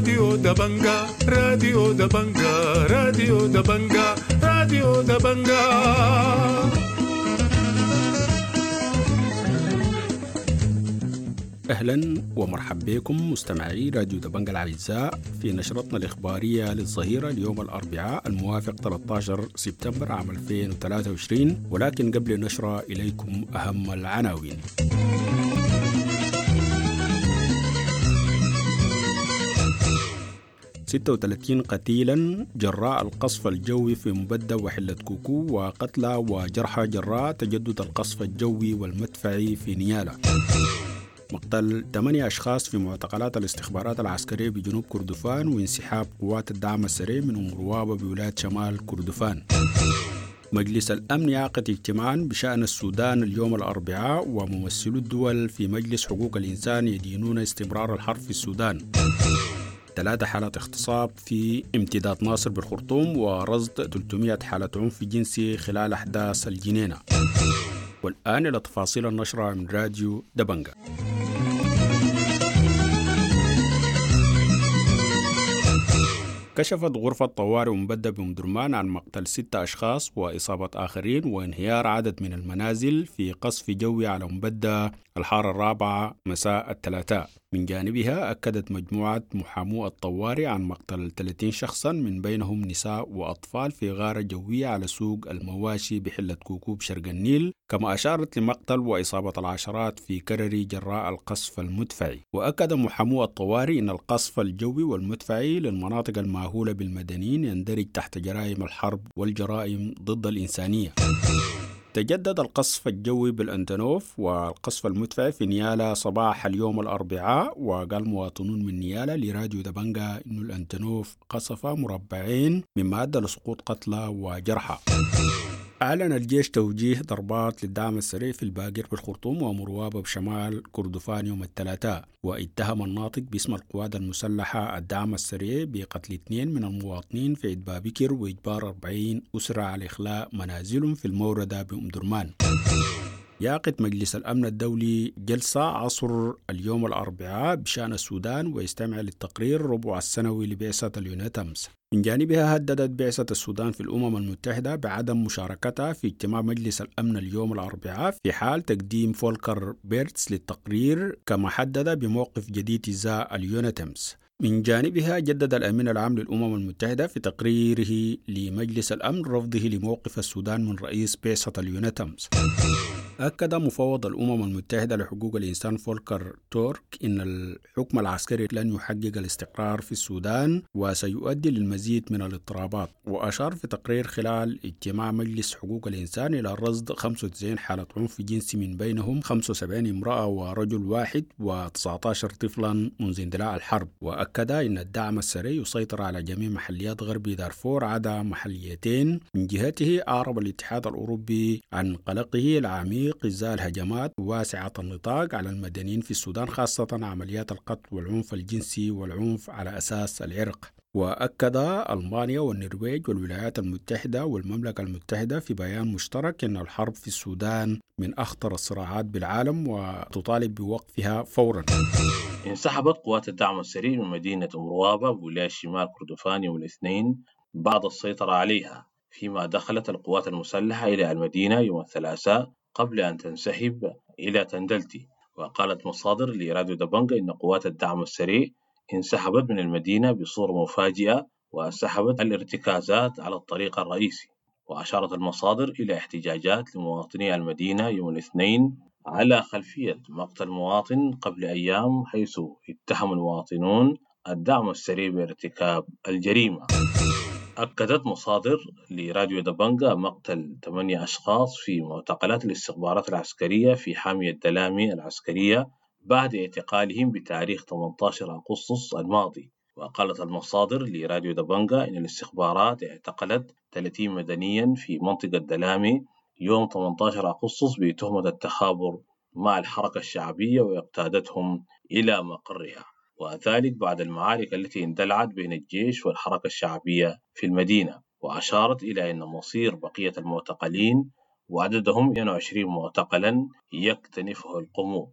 راديو دبنجا، راديو دبنجا، راديو دبنجا، راديو دبنجا. أهلا ومرحبا بكم مستمعي راديو دبنجا الأعزاء في نشرتنا الإخبارية للظهيرة اليوم الأربعاء الموافق 13 سبتمبر عام 2023، ولكن قبل النشرة إليكم أهم العناوين. 36 قتيلا جراء القصف الجوي في مبدة وحلة كوكو، وقتلى وجرحى جراء تجدد القصف الجوي والمدفعي في نيالا. مقتل 8 أشخاص في معتقلات الاستخبارات العسكرية بجنوب كردفان، وانسحاب قوات الدعم السريع من أم روابة بولاية شمال كردفان. مجلس الأمن يعقد اجتماعا بشأن السودان اليوم الأربعاء، وممثلو الدول في مجلس حقوق الإنسان يدينون استمرار الحرب في السودان. 3 حالات اغتصاب في امتداد ناصر بالخرطوم، ورصد 300 حالة عنف جنسي خلال أحداث الجنينة. والآن إلى تفاصيل النشرة من راديو دبنجا. كشفت غرفة طوارئ مبدة بأم عن مقتل 6 أشخاص وإصابة آخرين وانهيار عدد من المنازل في قصف جوي على مبدة الحارة الرابعة مساء الثلاثاء. من جانبها أكدت مجموعة محامو الطوارئ عن مقتل 30 شخصا من بينهم نساء وأطفال في غارة جوية على سوق المواشي بحلة كوكوب شرق النيل، كما أشارت لمقتل وإصابة العشرات في كرري جراء القصف المدفعي. وأكد محامو الطوارئ أن القصف الجوي والمدفعي للمناطق المأهولة بالمدنيين يندرج تحت جرائم الحرب والجرائم ضد الإنسانية. تجدد القصف الجوي بالأنتنوف والقصف المدفعي في نيالا صباح اليوم الأربعاء، وقال مواطنون من نيالا لراديو دبنجا إنه الأنتنوف قصف مربعين مما أدى لسقوط قتلى وجرحى. أعلن الجيش توجيه ضربات للدعم السريع في الباقر بالخرطوم ومروابة بشمال كردفان يوم الثلاثاء، واتهم الناطق باسم القوات المسلحة الدعم السريع بقتل 2 من المواطنين في عيد بابكر وإجبار 40 أسرة على إخلاء منازلهم في الموردة بأم درمان. يعقد مجلس الأمن الدولي جلسة عصر اليوم الأربعاء بشأن السودان ويستمع للتقرير ربع السنوي لبعثة اليونيتامس. من جانبها هددت بعثة السودان في الأمم المتحدة بعدم مشاركتها في اجتماع مجلس الأمن اليوم الأربعاء في حال تقديم فولكر بيرتس للتقرير، كما حدد بموقف جديد إزاء اليونيتامس. من جانبها جدد الأمين العام للأمم المتحدة في تقريره لمجلس الأمن رفضه لموقف السودان من رئيس بعثة اليونيتامس. أكد مفوض الأمم المتحدة لحقوق الإنسان فولكر تورك إن الحكم العسكري لن يحقق الاستقرار في السودان وسيؤدي للمزيد من الاضطرابات. وأشار في تقرير خلال اجتماع مجلس حقوق الإنسان إلى رصد 95 حالة عنف جنسي من بينهم 75 امرأة ورجل واحد و19 طفلا منذ اندلاع الحرب. وأكد أن الدعم السريع يسيطر على جميع محليات غرب دارفور عدا محليتين. من جهته أعرب الاتحاد الأوروبي عن قلقه العميق إزاء الهجمات واسعة النطاق على المدنيين في السودان، خاصة عمليات القتل والعنف الجنسي والعنف على أساس العرق. وأكد ألمانيا والنرويج والولايات المتحدة والمملكة المتحدة في بيان مشترك أن الحرب في السودان من أخطر الصراعات بالعالم وتطالب بوقفها فورا. انسحبت قوات الدعم السريع من مدينة أم روابة بولاية شمال كردفان يوم الاثنين بعد السيطرة عليها، فيما دخلت القوات المسلحة إلى المدينة يوم الثلاثاء قبل أن تنسحب إلى تندلتي. وقالت مصادر لراديو دبنجا إن قوات الدعم السريع انسحبت من المدينة بصورة مفاجئة وسحبت الارتكازات على الطريق الرئيسي. وأشارت المصادر إلى احتجاجات لمواطني المدينة يوم الاثنين على خلفية مقتل مواطن قبل أيام، حيث اتهم المواطنون الدعم السريع بارتكاب الجريمة. أكدت مصادر لراديو دبنجا مقتل 8 أشخاص في معتقلات الاستخبارات العسكرية في حامية دلامي العسكرية بعد اعتقالهم بتاريخ 18 أغسطس الماضي. وقالت المصادر لراديو دبنجا إن الاستخبارات اعتقلت 30 مدنيا في منطقة دلامي يوم 18 أغسطس بتهمة التخابر مع الحركة الشعبية واقتادتهم إلى مقرها، وذلك بعد المعارك التي اندلعت بين الجيش والحركة الشعبية في المدينة. وأشارت إلى أن مصير بقية المعتقلين وعددهم 22 معتقلا يكتنفه القموم.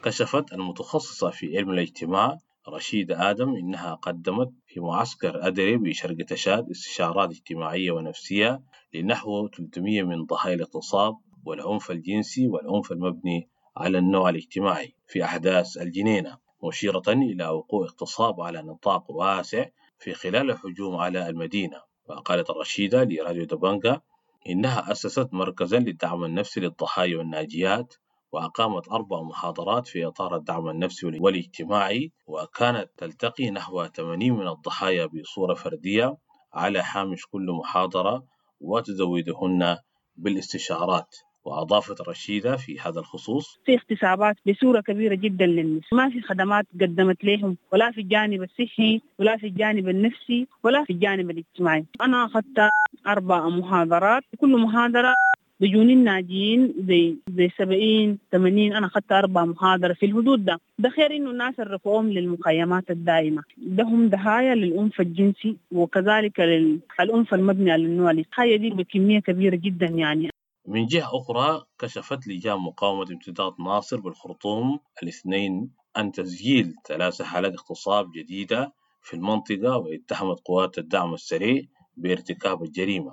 كشفت المتخصصة في علم الاجتماع رشيدة آدم إنها قدمت في معسكر أدري بشرق تشاد استشارات اجتماعية ونفسية لنحو 300 من ضحايا الاغتصاب والعنف الجنسي والعنف المبني على النوع الاجتماعي في أحداث الجنينة، مشيرة إلى وقوع اغتصاب على نطاق واسع في خلال الهجوم على المدينة. وقالت الرشيدة لراديو دبنجا إنها أسست مركزا للدعم النفسي للضحايا والناجيات، وأقامت 4 محاضرات في إطار الدعم النفسي والاجتماعي، وكانت تلتقي نحو 80 من الضحايا بصورة فردية على هامش كل محاضرة وتزودهن بالاستشارات. وأضافت رشيدة في هذا الخصوص: في اغتصابات بصورة كبيرة جدا للنساء، ما في خدمات قدمت لهم ولا في الجانب الصحي ولا في الجانب النفسي ولا في الجانب الاجتماعي. أنا أخذت 4 محاضرات، كل محاضرة بيجوني الناجين زي 70 80. أنا أخذت 4 محاضرة في الحدود ده. ده خير إنه الناس رفعوهم للمخيمات الدائمة، ده هم ضحايا للعنف الجنسي وكذلك للعنف المبني على النوع. الضحايا دي بكمية كبيرة جدا يعني. من جهة أخرى، كشفت لجان مقاومة امتداد ناصر بالخرطوم الاثنين عن تسجيل 3 حالات اغتصاب جديدة في المنطقة، واتهمت قوات الدعم السريع بارتكاب الجريمة.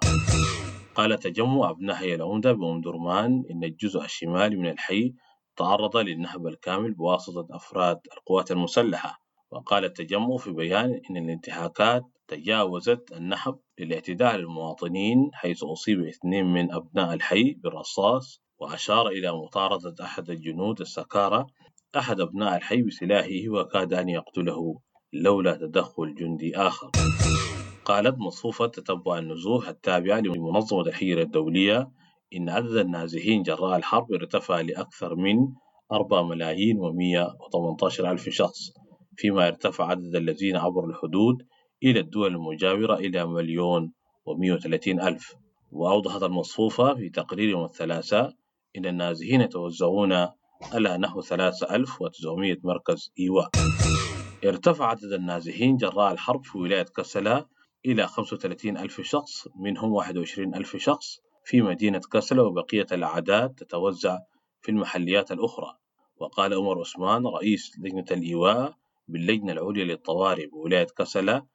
قال تجمع أبناء حي العمدة بأم درمان إن الجزء الشمالي من الحي تعرض للنهب الكامل بواسطة أفراد القوات المسلحة. وقال التجمع في بيان إن الانتهاكات تجاوزت النهب للاعتداء على المواطنين، حيث أصيب 2 من أبناء الحي بالرصاص، وأشار إلى مطاردة أحد الجنود السكارى أحد أبناء الحي بسلاحه وكاد أن يقتله لولا تدخل جندي آخر. قالت مصفوفة تتبع النزوح التابعة لمنظمة الهجرة الدولية إن عدد النازحين جراء الحرب ارتفع لأكثر من 4,118,000 شخص، فيما ارتفع عدد الذين عبروا الحدود إلى الدول المجاورة إلى 1,130,000. وأوضحت المصفوفة في تقرير يوم الثلاثاء إن النازحين يتوزعون على نحو 3900 مركز إيواء. ارتفع عدد النازحين جراء الحرب في ولاية كسلا إلى 35,000 شخص، منهم 21,000 شخص في مدينة كسلا، وبقية الأعداد تتوزع في المحليات الأخرى. وقال عمر عثمان رئيس لجنة الإيواء باللجنة العليا للطوارئ بولاية كسلا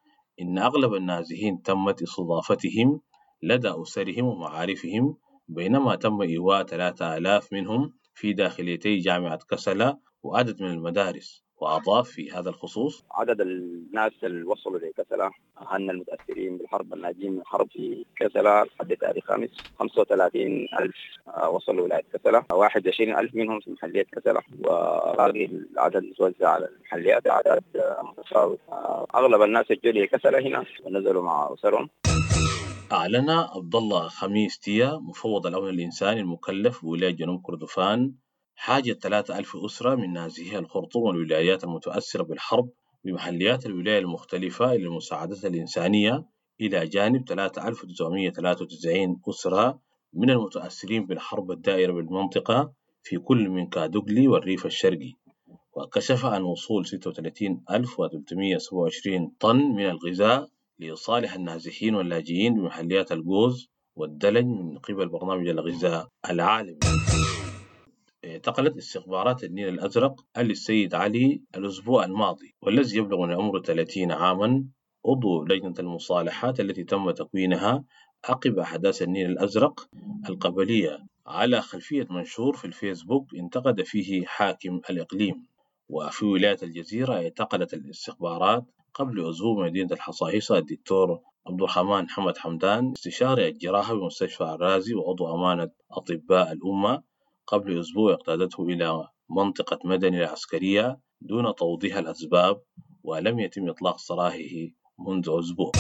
إن أغلب النازحين تمت استضافتهم لدى أسرهم ومعارفهم، بينما تم إيواء 3000 منهم في داخليتي جامعة كسلا وعدد من المدارس. وأضاف في هذا الخصوص: عدد الناس اللي وصلوا لكسلا أهلنا المتأثرين بالحرب الناجين من الحرب في كسلا لحد تاريخ 5 35,000 وصلوا ولاية كسلا، 21,000 منهم في محلية كسلا، وباقي العدد متوزع على المحليات، أعداد متفاوتة. أغلب الناس الجوا لكسلا هنا ونزلوا مع أسرهم. أعلن عبد الله خميس تيا مفوض الأمن الإنساني المكلف بولاية جنوب كردفان حاجة 3000 أسرة من نازحي الخرطوم والولايات المتأثرة بالحرب بمحليات الولاية المختلفة إلى المساعدات الإنسانية، إلى جانب 3993 أسرة من المتأثرين بالحرب الدائرة بالمنطقة في كل من كادوغلي والريف الشرقي. وكشف عن وصول 36,327 طن من الغذاء لصالح النازحين واللاجئين بمحليات الجوز والدلنج من قبل برنامج الغذاء العالمي. اعتقلت استخبارات النيل الأزرق علي السيد علي الأسبوع الماضي، والذي يبلغ من عمره 30 عاما، عضو لجنة المصالحات التي تم تكوينها عقب أحداث النيل الأزرق القبلية، على خلفية منشور في الفيسبوك انتقد فيه حاكم الإقليم. وفي ولاية الجزيرة اعتقلت الاستخبارات قبل أسبوع مدينة الحصاحيصا الدكتور عبد الرحمن حمد حمدان، استشاري الجراحة بمستشفى الرازي وعضو أمانة أطباء الأمة، قبل أسبوع اقتادته إلى منطقة مدني العسكرية دون توضيح الأسباب، ولم يتم إطلاق سراحه منذ أسبوع.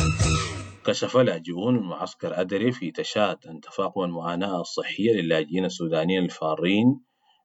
كشف لاجئون من معسكر أدري في تشاد أن تفاقم المعاناة الصحية للاجئين السودانيين الفارين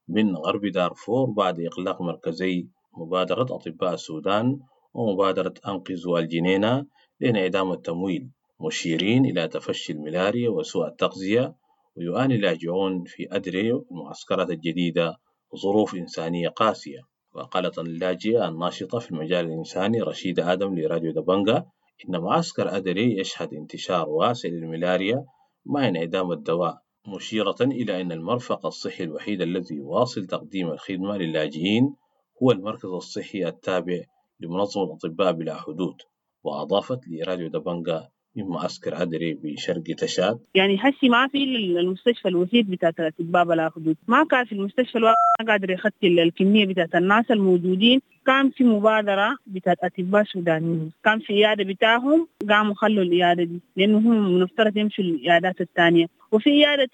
من غرب دارفور بعد إغلاق مركزي مبادرة أطباء السودان ومبادرة أنقذوا الجنينة لانعدام التمويل، مشيرين إلى تفشي الملاريا وسوء التغذية. ويعاني اللاجئون في أدري المعسكرات الجديدة ظروف إنسانية قاسية. وقالت اللاجئة الناشطة في المجال الإنساني رشيدة آدم لراديو دبنجا إن معسكر أدري يشهد انتشار واسع للملاريا مع انعدام الدواء، مشيرة إلى أن المرفق الصحي الوحيد الذي يواصل تقديم الخدمة للاجئين هو المركز الصحي التابع لمنظمة أطباء بلا حدود. وأضافت لراديو دبنجا من معسكر أدري بشرق تشاد: يعني حسي ما في المستشفى الوحيد بتاعت الأطباء بلا حدود، ما كان في المستشفى الواحد قادر يخطي الكمية بتاعت الناس الموجودين. كان في مبادرة بتاعت أطباء سودانيين، كان في عيادة بتاعهم، قاموا خلوا العيادة دي لأنه هم مفترض يمشوا العيادات الثانية، وفي عيادة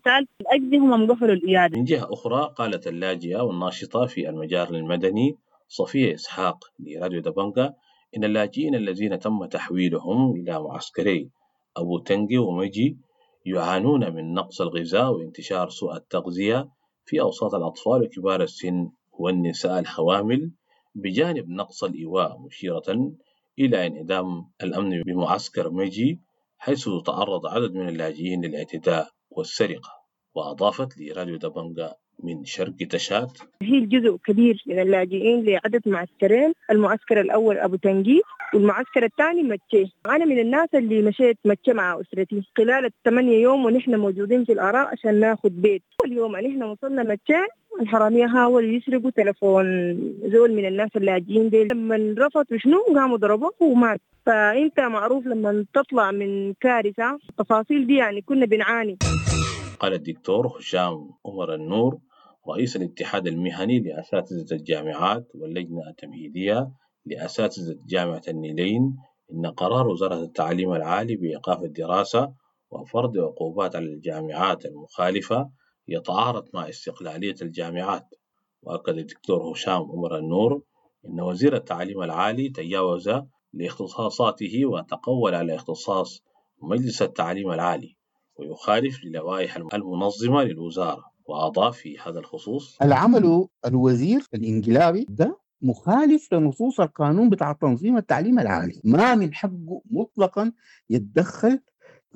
ثالث أجل هم قفلوا العيادة. من جهة أخرى قالت اللاجئة والناشطة في المجال المدني صفية إسحاق لراديو دبنجا إن اللاجئين الذين تم تحويلهم إلى معسكري أبو تنجي ومجي يعانون من نقص الغذاء وانتشار سوء التغذية في أوساط الأطفال وكبار السن والنساء الحوامل، بجانب نقص الإيواء، مشيرة إلى انعدام الأمن بمعسكر مجي حيث تعرض عدد من اللاجئين للاعتداء والسرقة. وأضافت لراديو دبنجا من شرق تشاد: هي جزء كبير من اللاجئين لعدد معسكرين، المعسكر الأول أبو تنجي والمعسكر الثاني متشي. أنا من الناس اللي مشيت متشي مع أسرتي خلال ال8 يوم ونحن موجودين في الآراء عشان ناخذ بيت. أول يوم نحن وصلنا متشي الحرامية حاولوا يسرقوا تلفون زول من الناس اللاجئين دي، لما رفضوا شنو قاموا ضربوه ومات. فأنت معروف لما تطلع من كارثة التفاصيل دي يعني كنا بنعاني. قال الدكتور هشام عمر النور رئيس الاتحاد المهني لأساتذة الجامعات واللجنة التمهيدية لأساتذة جامعة النيلين إن قرار وزارة التعليم العالي بإيقاف الدراسة وفرض عقوبات على الجامعات المخالفة يتعارض مع استقلالية الجامعات. وأكد الدكتور هشام عمر النور إن وزير التعليم العالي تجاوز لاختصاصاته وتقول على اختصاص مجلس التعليم العالي ويخالف للوائح المنظمة للوزارة. وأضاف في هذا الخصوص: العمل الوزير الإنقلابي ده مخالف لنصوص القانون بتاع تنظيم التعليم العالي، ما من حقه مطلقا يتدخل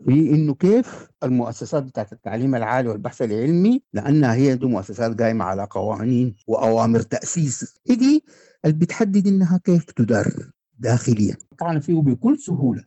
في انه كيف المؤسسات بتاعت التعليم العالي والبحث العلمي، لانها هي دي مؤسسات قايمه على قوانين واوامر تاسيس دي اللي بتحدد انها كيف تدار داخليا، طبعا فيه بكل سهوله.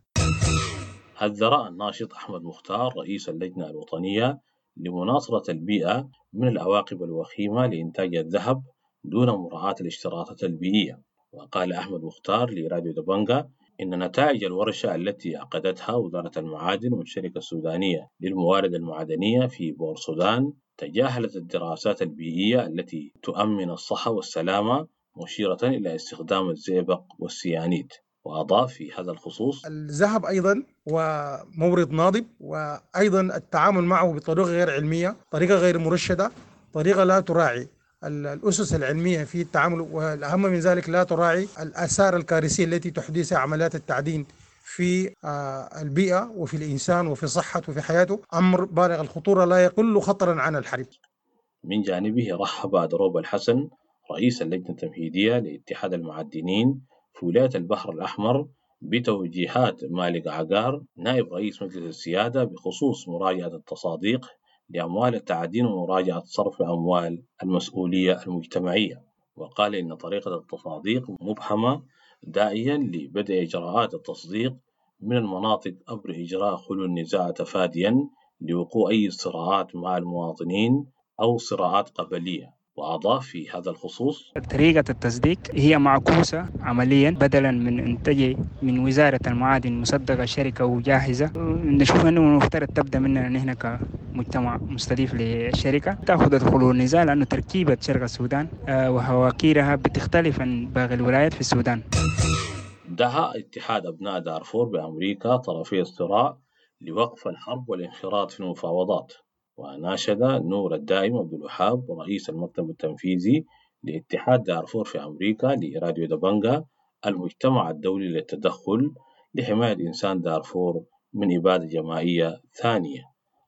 حذر الناشط أحمد مختار رئيس اللجنة الوطنية لمناصرة البيئة من العواقب الوخيمة لإنتاج الذهب دون مراعاة الاشتراطات البيئية. وقال أحمد مختار لراديو دبنجا إن نتائج الورشة التي عقدتها وزارة المعادن والشركة السودانية للموارد المعدنية في بورسودان تجاهلت الدراسات البيئية التي تؤمن الصحة والسلامة، مشيرة إلى استخدام الزئبق والسيانيد. وأضاف في هذا الخصوص: الذهب أيضا ومورد ناضب، وأيضا التعامل معه بطريقة غير علمية، طريقة غير مرشدة، طريقة لا تراعي الأسس العلمية في التعامل، والأهم من ذلك لا تراعي الآثار الكارثية التي تحدثها عمليات التعدين في البيئة وفي الإنسان وفي صحته وفي حياته، أمر بالغ الخطورة لا يقل خطرا عن الحرب. من جانبه رحب دروب الحسن رئيس اللجنة التمهيدية لاتحاد المعدنين في ولاية البحر الأحمر بتوجيهات مالك عقار نائب رئيس مجلس السيادة بخصوص مراجعة التصاديق لأموال التعدين ومراجعة صرف أموال المسؤولية المجتمعية. وقال إن طريقة التصاديق مبهمة، داعيا لبدء إجراءات التصديق من المناطق عبر إجراء خلو النزاع تفاديا لوقوع أي صراعات مع المواطنين أو صراعات قبلية. وأضاف في هذا الخصوص: طريقة التصديق هي معكوسة عمليا، بدلا من أن تجي من وزارة المعادن مصدقة شركة وجاهزة، نشوف أنه المفترض تبدأ مننا نحن كمجتمع مستضيف للشركة تأخذ دخول النزاع، لأنه تركيبة شرق السودان وهواكيرها بتختلف عن باقي الولايات في السودان. دعا اتحاد أبناء دارفور بأمريكا طرفي الصراع لوقف الحرب والانخراط في المفاوضات. وناشد نور الدائم عبد الوهاب رئيس المكتب التنفيذي لاتحاد دارفور في أمريكا لراديو دبنجا المجتمع الدولي للتدخل لحماية إنسان دارفور من إبادة جماعية ثانية.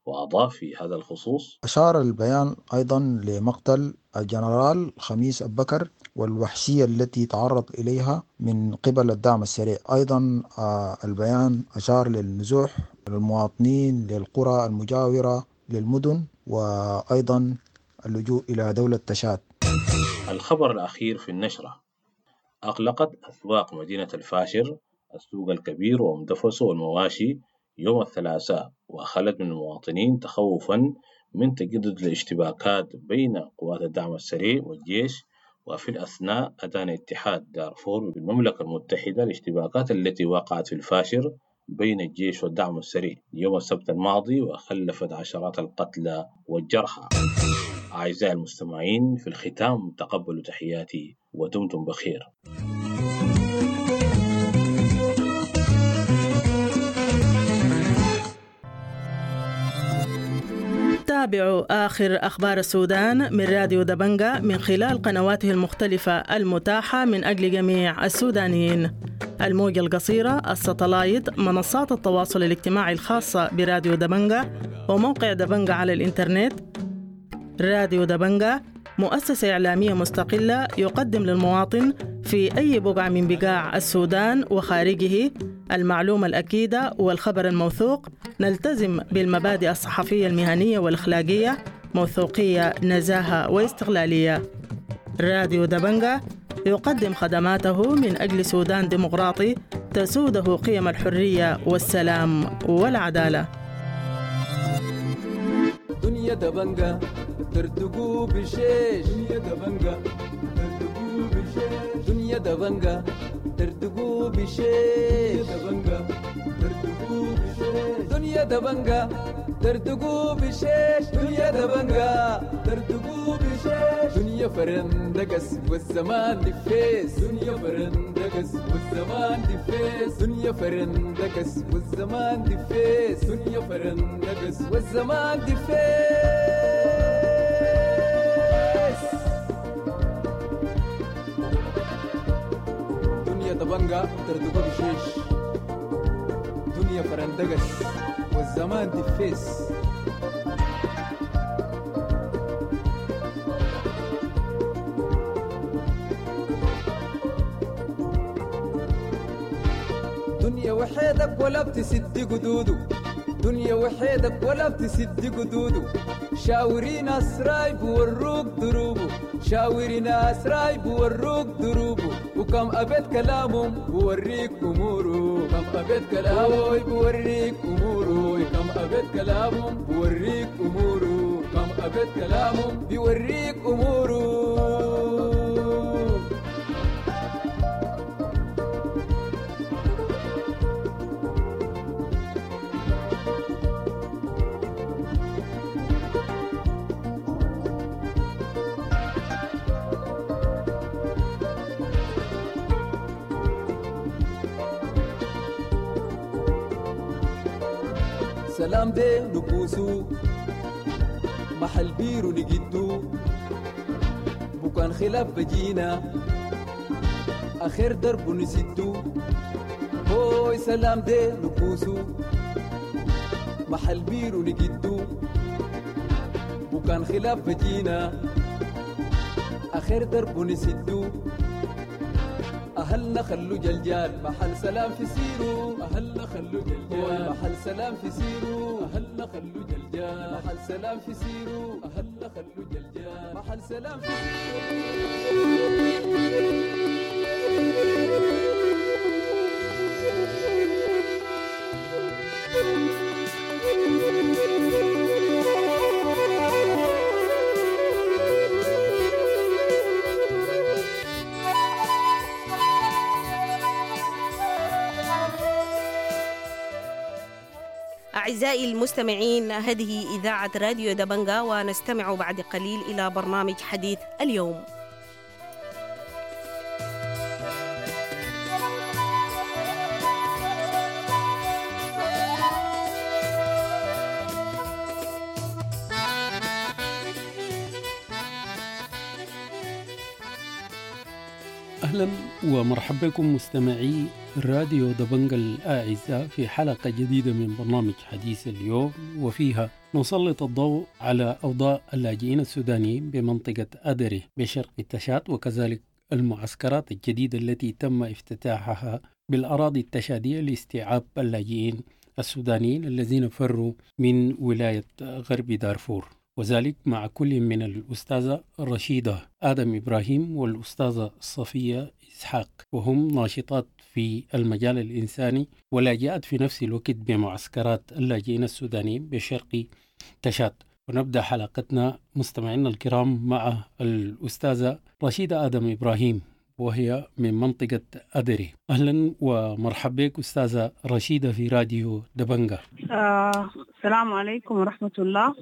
وأضاف في هذا الخصوص: أشار البيان أيضا لمقتل الجنرال خميس أبو بكر والوحشية التي تعرض إليها من قبل الدعم السريع. أيضا البيان أشار للنزوح للمواطنين للقرى المجاورة للمدن، وأيضا اللجوء إلى دولة تشاد. الخبر الأخير في النشرة: أغلقت أسواق مدينة الفاشر السوق الكبير ومدفسه والمواشي يوم الثلاثاء، وأخلت من المواطنين تخوفا من تجدد الاشتباكات بين قوات الدعم السريع والجيش وفي الأثناء أدان اتحاد دارفور بالمملكة المتحدة الاشتباكات التي وقعت في الفاشر بين الجيش والدعم السريع يوم السبت الماضي وخلفت عشرات القتلى والجرحى. أعزائي المستمعين، في الختام تقبلوا تحياتي ودمتم بخير. تابعوا آخر أخبار السودان من راديو دبنجا من خلال قنواته المختلفة المتاحة من أجل جميع السودانيين: الموجة القصيرة، الستلايت، منصات التواصل الاجتماعي الخاصة براديو دبنجا، وموقع دبنجا على الإنترنت. راديو دبنجا مؤسسة إعلامية مستقلة يقدم للمواطن في أي بقعة من بقاع السودان وخارجه المعلومة الأكيدة والخبر الموثوق. نلتزم بالمبادئ الصحفية المهنية والأخلاقية، موثوقية، نزاهة واستقلالية. راديو دبنجا يقدم خدماته من أجل سودان ديمقراطي تسوده قيم الحرية والسلام والعدالة. دنيا دبنجا ترتقو بشيش، دنيا دبنجا ترتقو بشيش، دنيا دبنجا ترتقو بشيش، دبنجا ترتقو بشيش، دنيا دبنجا ترتقو بشيش، دنيا دبنجا ترتقو بشيش، دنيا فرندقس والزمان دفيس، دنيا فرندقس والزمان دفيس، دنيا فرندقس والزمان دفيس، دنيا فرندقس والزمان دفيس. دنيا دبنجا ترتقو بشيش، دنيا فرندقس والزمان دفيس. دنيا وحيدك ولا بتسد قدوده، دنيا وحيدك ولا بتسد قدوده، شاوري ناس رايب وروك دروبه، شاوري ناس رايب وروك دروبه، وكم أبيت كلامهم بوريك أموره، كم أبيت كلامه بوريك أموره، كم أبيت كلامهم بوريك أموره، كم أبيت كلامهم بيوريك أموره. سلام دي نكوسو محل بيرو نجدو، بكان خلاف بجينا آخر درب نسدو، هوي سلام دي نكوسو محل بيرو نجدو، بكان خلاف بجينا آخر درب نسدو، أهلنا خلو جلجال محل سلام في سيرو، أهلنا خلو جلجال محل سلام في سيرو، أهلنا خلو جلجال محل سلام في سيرو، أهلنا خلو جلجال محل سلام في أعزائي المستمعين، هذه إذاعة راديو دبنجا، ونستمع بعد قليل إلى برنامج حديث اليوم. أهلا ومرحبا بكم مستمعي راديو دبنجا الأعزاء في حلقة جديدة من برنامج حديث اليوم، وفيها نسلط الضوء على أوضاع اللاجئين السودانيين بمنطقة أدري بشرق التشاد، وكذلك المعسكرات الجديدة التي تم افتتاحها بالأراضي التشادية لاستيعاب اللاجئين السودانيين الذين فروا من ولاية غرب دارفور، وذلك مع كل من الأستاذة رشيدة آدم إبراهيم والأستاذة صفية إسحاق، وهم ناشطات في المجال الإنساني ولاجئات في نفس الوقت بمعسكرات اللاجئين السودانيين بشرق تشاد. ونبدأ حلقتنا مستمعينا الكرام مع الأستاذة رشيدة آدم إبراهيم، وهي من منطقة أدري. أهلا ومرحبا بك أستاذة رشيدة في راديو دبنجة. السلام عليكم ورحمة الله.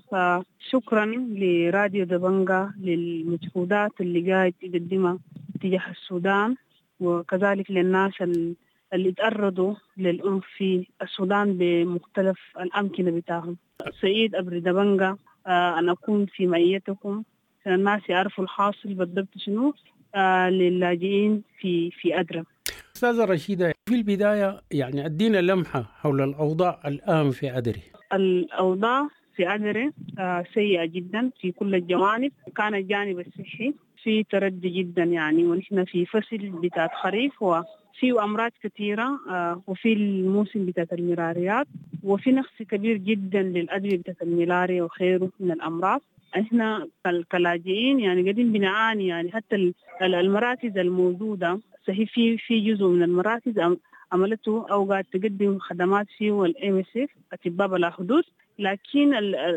شكرا لراديو دبنجة للمجهودات اللي قاعد تقدمها تجاه السودان، وكذلك للناس اللي تعرضوا للعنف في السودان بمختلف الأمكنة بتاعهم. سعيد أبري دبنجة أن أكون في معيتكم عشان الناس يعرفوا الحاصل بالضبط شنو للاجئين في أدرى. أستاذة رشيدة، في البداية يعني أدينا لمحة حول الأوضاع الآن في أدري. الأوضاع في أدري سيئة جدا في كل الجوانب. كان الجانب الصحي في تردي جدا يعني، ونحن في فصل بتاعت خريف وفي أمراض كثيرة، وفي الموسم بتاعت الملاريات، وفي نقص كبير جدا للأدوية بتاعت الملاريا وخيره من الأمراض. احنا كلاجئين يعني قاعدين بنعاني يعني، حتى المراكز الموجودة صحيح في جزء من المراكز عملته أو قاعد تقدم خدمات فيه وال MSF أطباء بلا حدود، لكن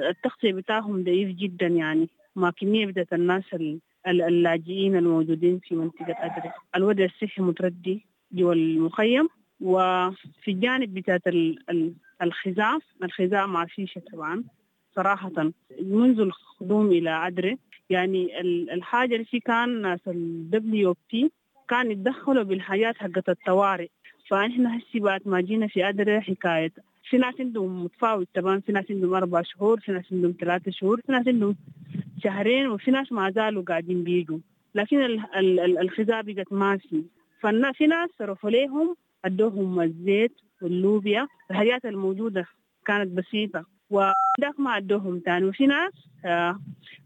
التغطية بتاعهم ضعيف جدا يعني، مع كمية بتاعت الناس اللاجئين الموجودين في منطقة أدري. الوضع الصحي متردي جوا المخيم. وفي الجانب بتاعت الخزاع، الخزاع ما فيش طبعا صراحة منذ القدوم إلى أدري يعني. الحاجة اللي في كان ناس ال WFP كان يتدخلوا بالحاجات حقت الطوارئ، فإحنا هسي بعد ما جينا في أدري حكاية في ناس عندهم متفاوت طبعا، في ناس عندهم 4 شهور، في ناس عندهم 3 شهور، في ناس عندهم 2 شهور، وفي ناس ما زالوا قاعدين بيجوا، لكن الخزاع بقت ماشي. ففي ناس صرفوا لهم أدوهم الزيت واللوبيا، الحاجات الموجودة كانت بسيطة وذاك ما أدوهم تاني. وفي ناس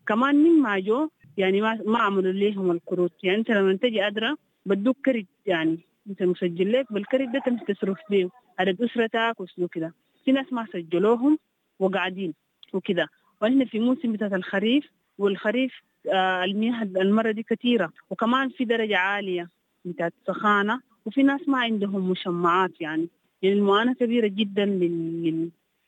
كمان مما جو يعني ما عملوا لهم الكروت. يعني أنت لما تجي أدرى بدوك كرت، يعني أنت مسجل لك بالكرت ده تمشي تصرف بيه عدد أسرتك وشنو كده. في ناس ما سجلوهم وقاعدين وكده. وإحنا في موسم بتاعت الخريف، والخريف المياه المرة دي كثيرة، وكمان في درجة عالية بتاعت سخانة، وفي ناس ما عندهم مشمعات يعني. المعاناة كبيرة جدا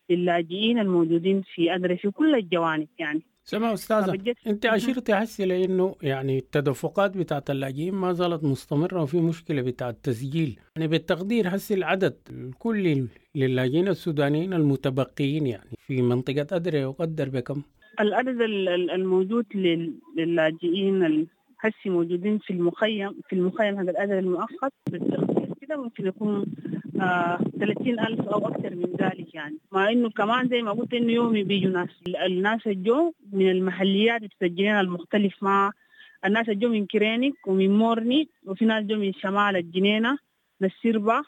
للاجئين الموجودين في أدري في كل الجوانب يعني. سمع أستاذة، أنت عشيرتي حسي لأنه يعني التدفقات بتاعت اللاجئين ما زالت مستمرة وفي مشكلة بتاعت التسجيل، يعني بالتقدير حسي العدد الكلي للاجئين السودانيين المتبقيين يعني في منطقة أدري يقدر بكم؟ العدد الموجود للاجئين هسي موجودين في المخيم، هذا الأدري المؤقت بالتقدير كده ممكن يكون 30,000 أو أكثر من ذلك يعني. مع إنه كمان زي ما قلت إنه يومي بيجوا ناس، الناس الجو من المحليات التسجيلين المختلف، مع الناس الجو من كرينك ومن مورني، وفي ناس جو من شمال الجنينة للسربة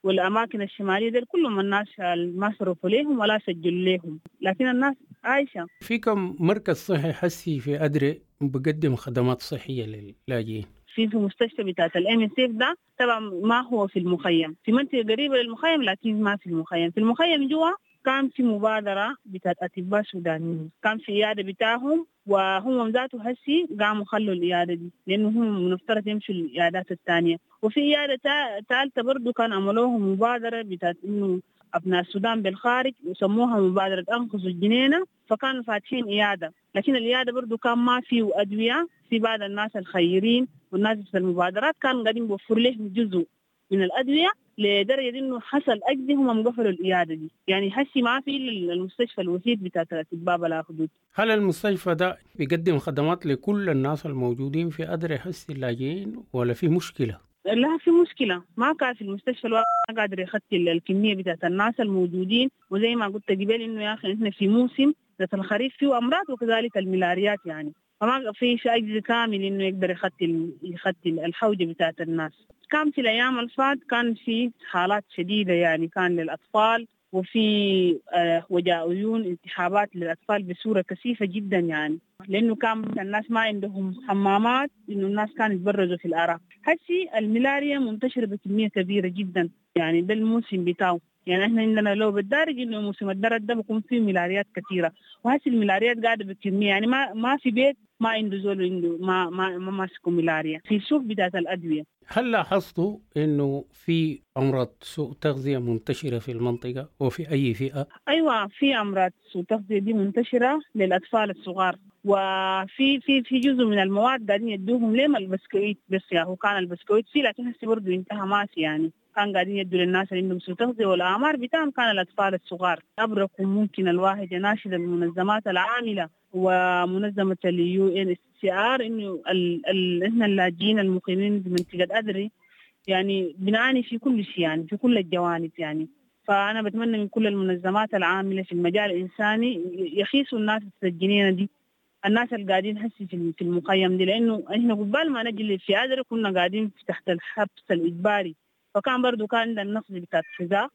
والأماكن الشمالية دي، كلهم الناس ما صرفوا ليهم ولا سجلوا ليهم، لكن الناس عايشة. في كم مركز صحي حسي في أدري بقدم خدمات صحية للاجئين؟ في مستشفى بتاعت ال MSF ده طبعا ما هو في المخيم، في منطقة قريبة للمخيم لكن ما في المخيم. في المخيم جوا كان في مبادرة بتاعت أطباء سودانيين، كان في عيادة بتاعهم، وهم ذاته هسي قاموا خلوا العيادة دي لأنه هم مفترض يمشوا العيادات الثانية. وفي عيادة ثالثة برضو كان عملوها مبادرة بتاعت إنه أبناء السودان بالخارج وسموها مبادرة أنقذوا الجنينة، فكانوا فاتحين عيادة، لكن العيادة برضو كان ما فيه أدوية. في بعض الناس الخيرين والناس في المبادرات كانوا قاعدين بيوفروا لهم جزء من الأدوية لدرجة إنه حصل أجزي هم قفلوا العيادة دي. يعني هسي ما في المستشفى الوحيد بتاع أطباء بلا حدود. هل المستشفى ده بيقدم خدمات لكل الناس الموجودين في أدري هسي اللاجئين ولا في مشكلة؟ لا في مشكلة، ما كان في المستشفى الواحد ما قادر يغطي الكمية بتاعت الناس الموجودين. وزي ما قلت قبل إنه يا أخي إحنا في موسم ذات الخريف فيه أمراض وكذلك الملاريات يعني، فما في شيء أجزء كامل إنه يقدر يغطي الحوجة بتاعت الناس. كان في الأيام الفات كان في حالات شديدة يعني، كان للأطفال وفي وجع عيون، التهابات للأطفال بصورة كثيفة جدا يعني، لأنه كان الناس ما عندهم حمامات، إنه الناس كانوا يتبرزوا في الآراء. هسي الملاريا منتشرة بكمية كبيرة جدا يعني، ده الموسم بتاعه. يعني احنا عندنا لو بالدارج انه موسم الدرن ده بيكون فيه ملاريات كثيرة، وهسه الملاريات قاعدة بكمية، يعني ما في بيت ما عنده زول عنده ما ما ما ماسكه ملاريا في السوق بتاعت الادوية. هل لاحظتوا انه في امراض سوء تغذية منتشرة في المنطقة وفي اي فئة؟ ايوه، في امراض سوء تغذية دي منتشرة للاطفال الصغار، وفي في في جزء من المواد قاعدين يدوهم ليه البسكويت، بس يا هو كان البسكويت فيه، لكن هسه برضه انتهى ماشي. يعني كان قاعدين يدوا للناس اللي عندهم سوء تغذية والاعمار بتاعهم كان الاطفال الصغار. ابرك ممكن الواحد يناشد المنظمات العاملة ومنظمة ال UNHCR انه احنا اللاجئين المقيمين بمنطقة ادري يعني بنعاني في كل شيء، يعني في كل الجوانب يعني. فانا بتمنى من كل المنظمات العاملة في المجال الانساني يخيسوا الناس السجنين دي، الناس اللي قاعدين هسي في المخيم دي، لانه احنا قبال ما نجي في ادري كنا قاعدين تحت الحبس الاجباري، فكان برضو كان عندنا النقص بتاع الغذاء